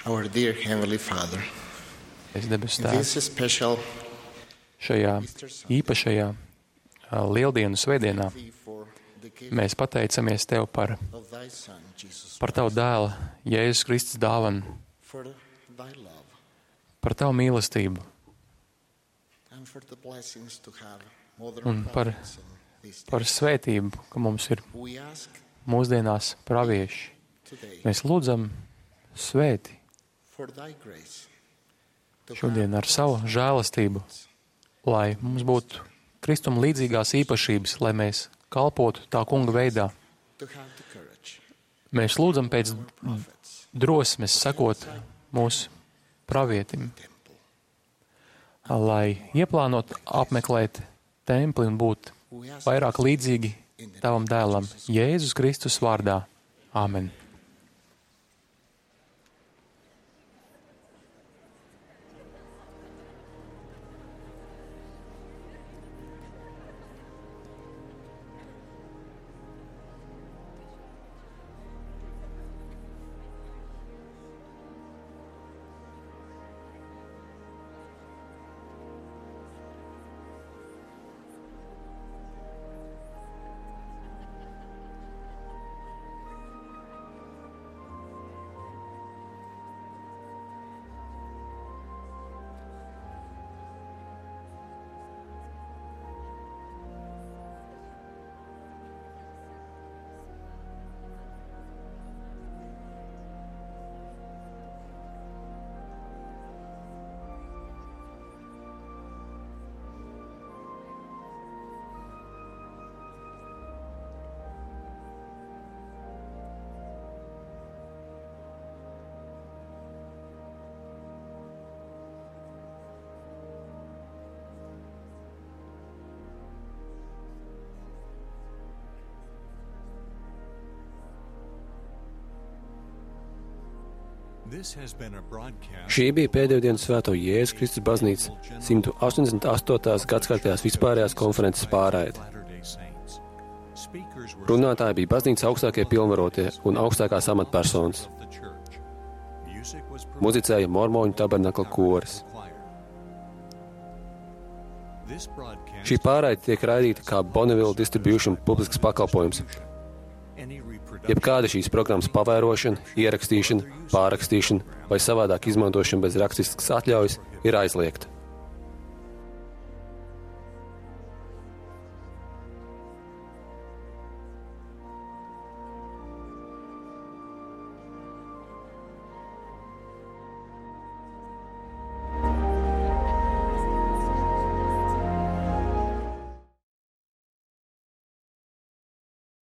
Our dear Heavenly Father, Debesu in this Tēvs, special šajā īpašajā Lieldienu svētdienā Thee for the gift mēs pateicamies Tev par of Thy Son, Jesus, Tavu dēlu, Jēzus Kristus dāvanu, for Thy love, par Tavu mīlestību and for the blessings to have modern un par prophets. svētību, ka mums ir We ask mūsdienās pravieši. today Mēs lūdzam svēti for Thy grace to šodien ar savu žēlastību, lai mums būtu Kristuma līdzīgās īpašības, lai mēs kalpotu tā kunga veidā. to have the courage, Mēs lūdzam pēc prophets, drosmes sekot mūsu pravietim, temple. lai ieplānot apmeklēt templi un būt We ask vairāk līdzīgi Tavam dēlam, Jēzus Kristus vārdā. Āmen. Šī bija pēdējo dienu svēto Jēzus Kristus baznīcas 188. gadskārtējās vispārējās konferences pārraide. Runātāji bija baznīcas augstākie pilnvarotie un augstākās amatpersonas. Muzicēja Mormoņu tabernakla koris. Šī pārraide tiek raidīta kā Bonneville Distribution publisks pakalpojums. Jebkāda šīs programmas pavērošana, ierakstīšana, pārrakstīšana vai savādāk izmantošana bez rakstiskas atļaujas ir aizliegta.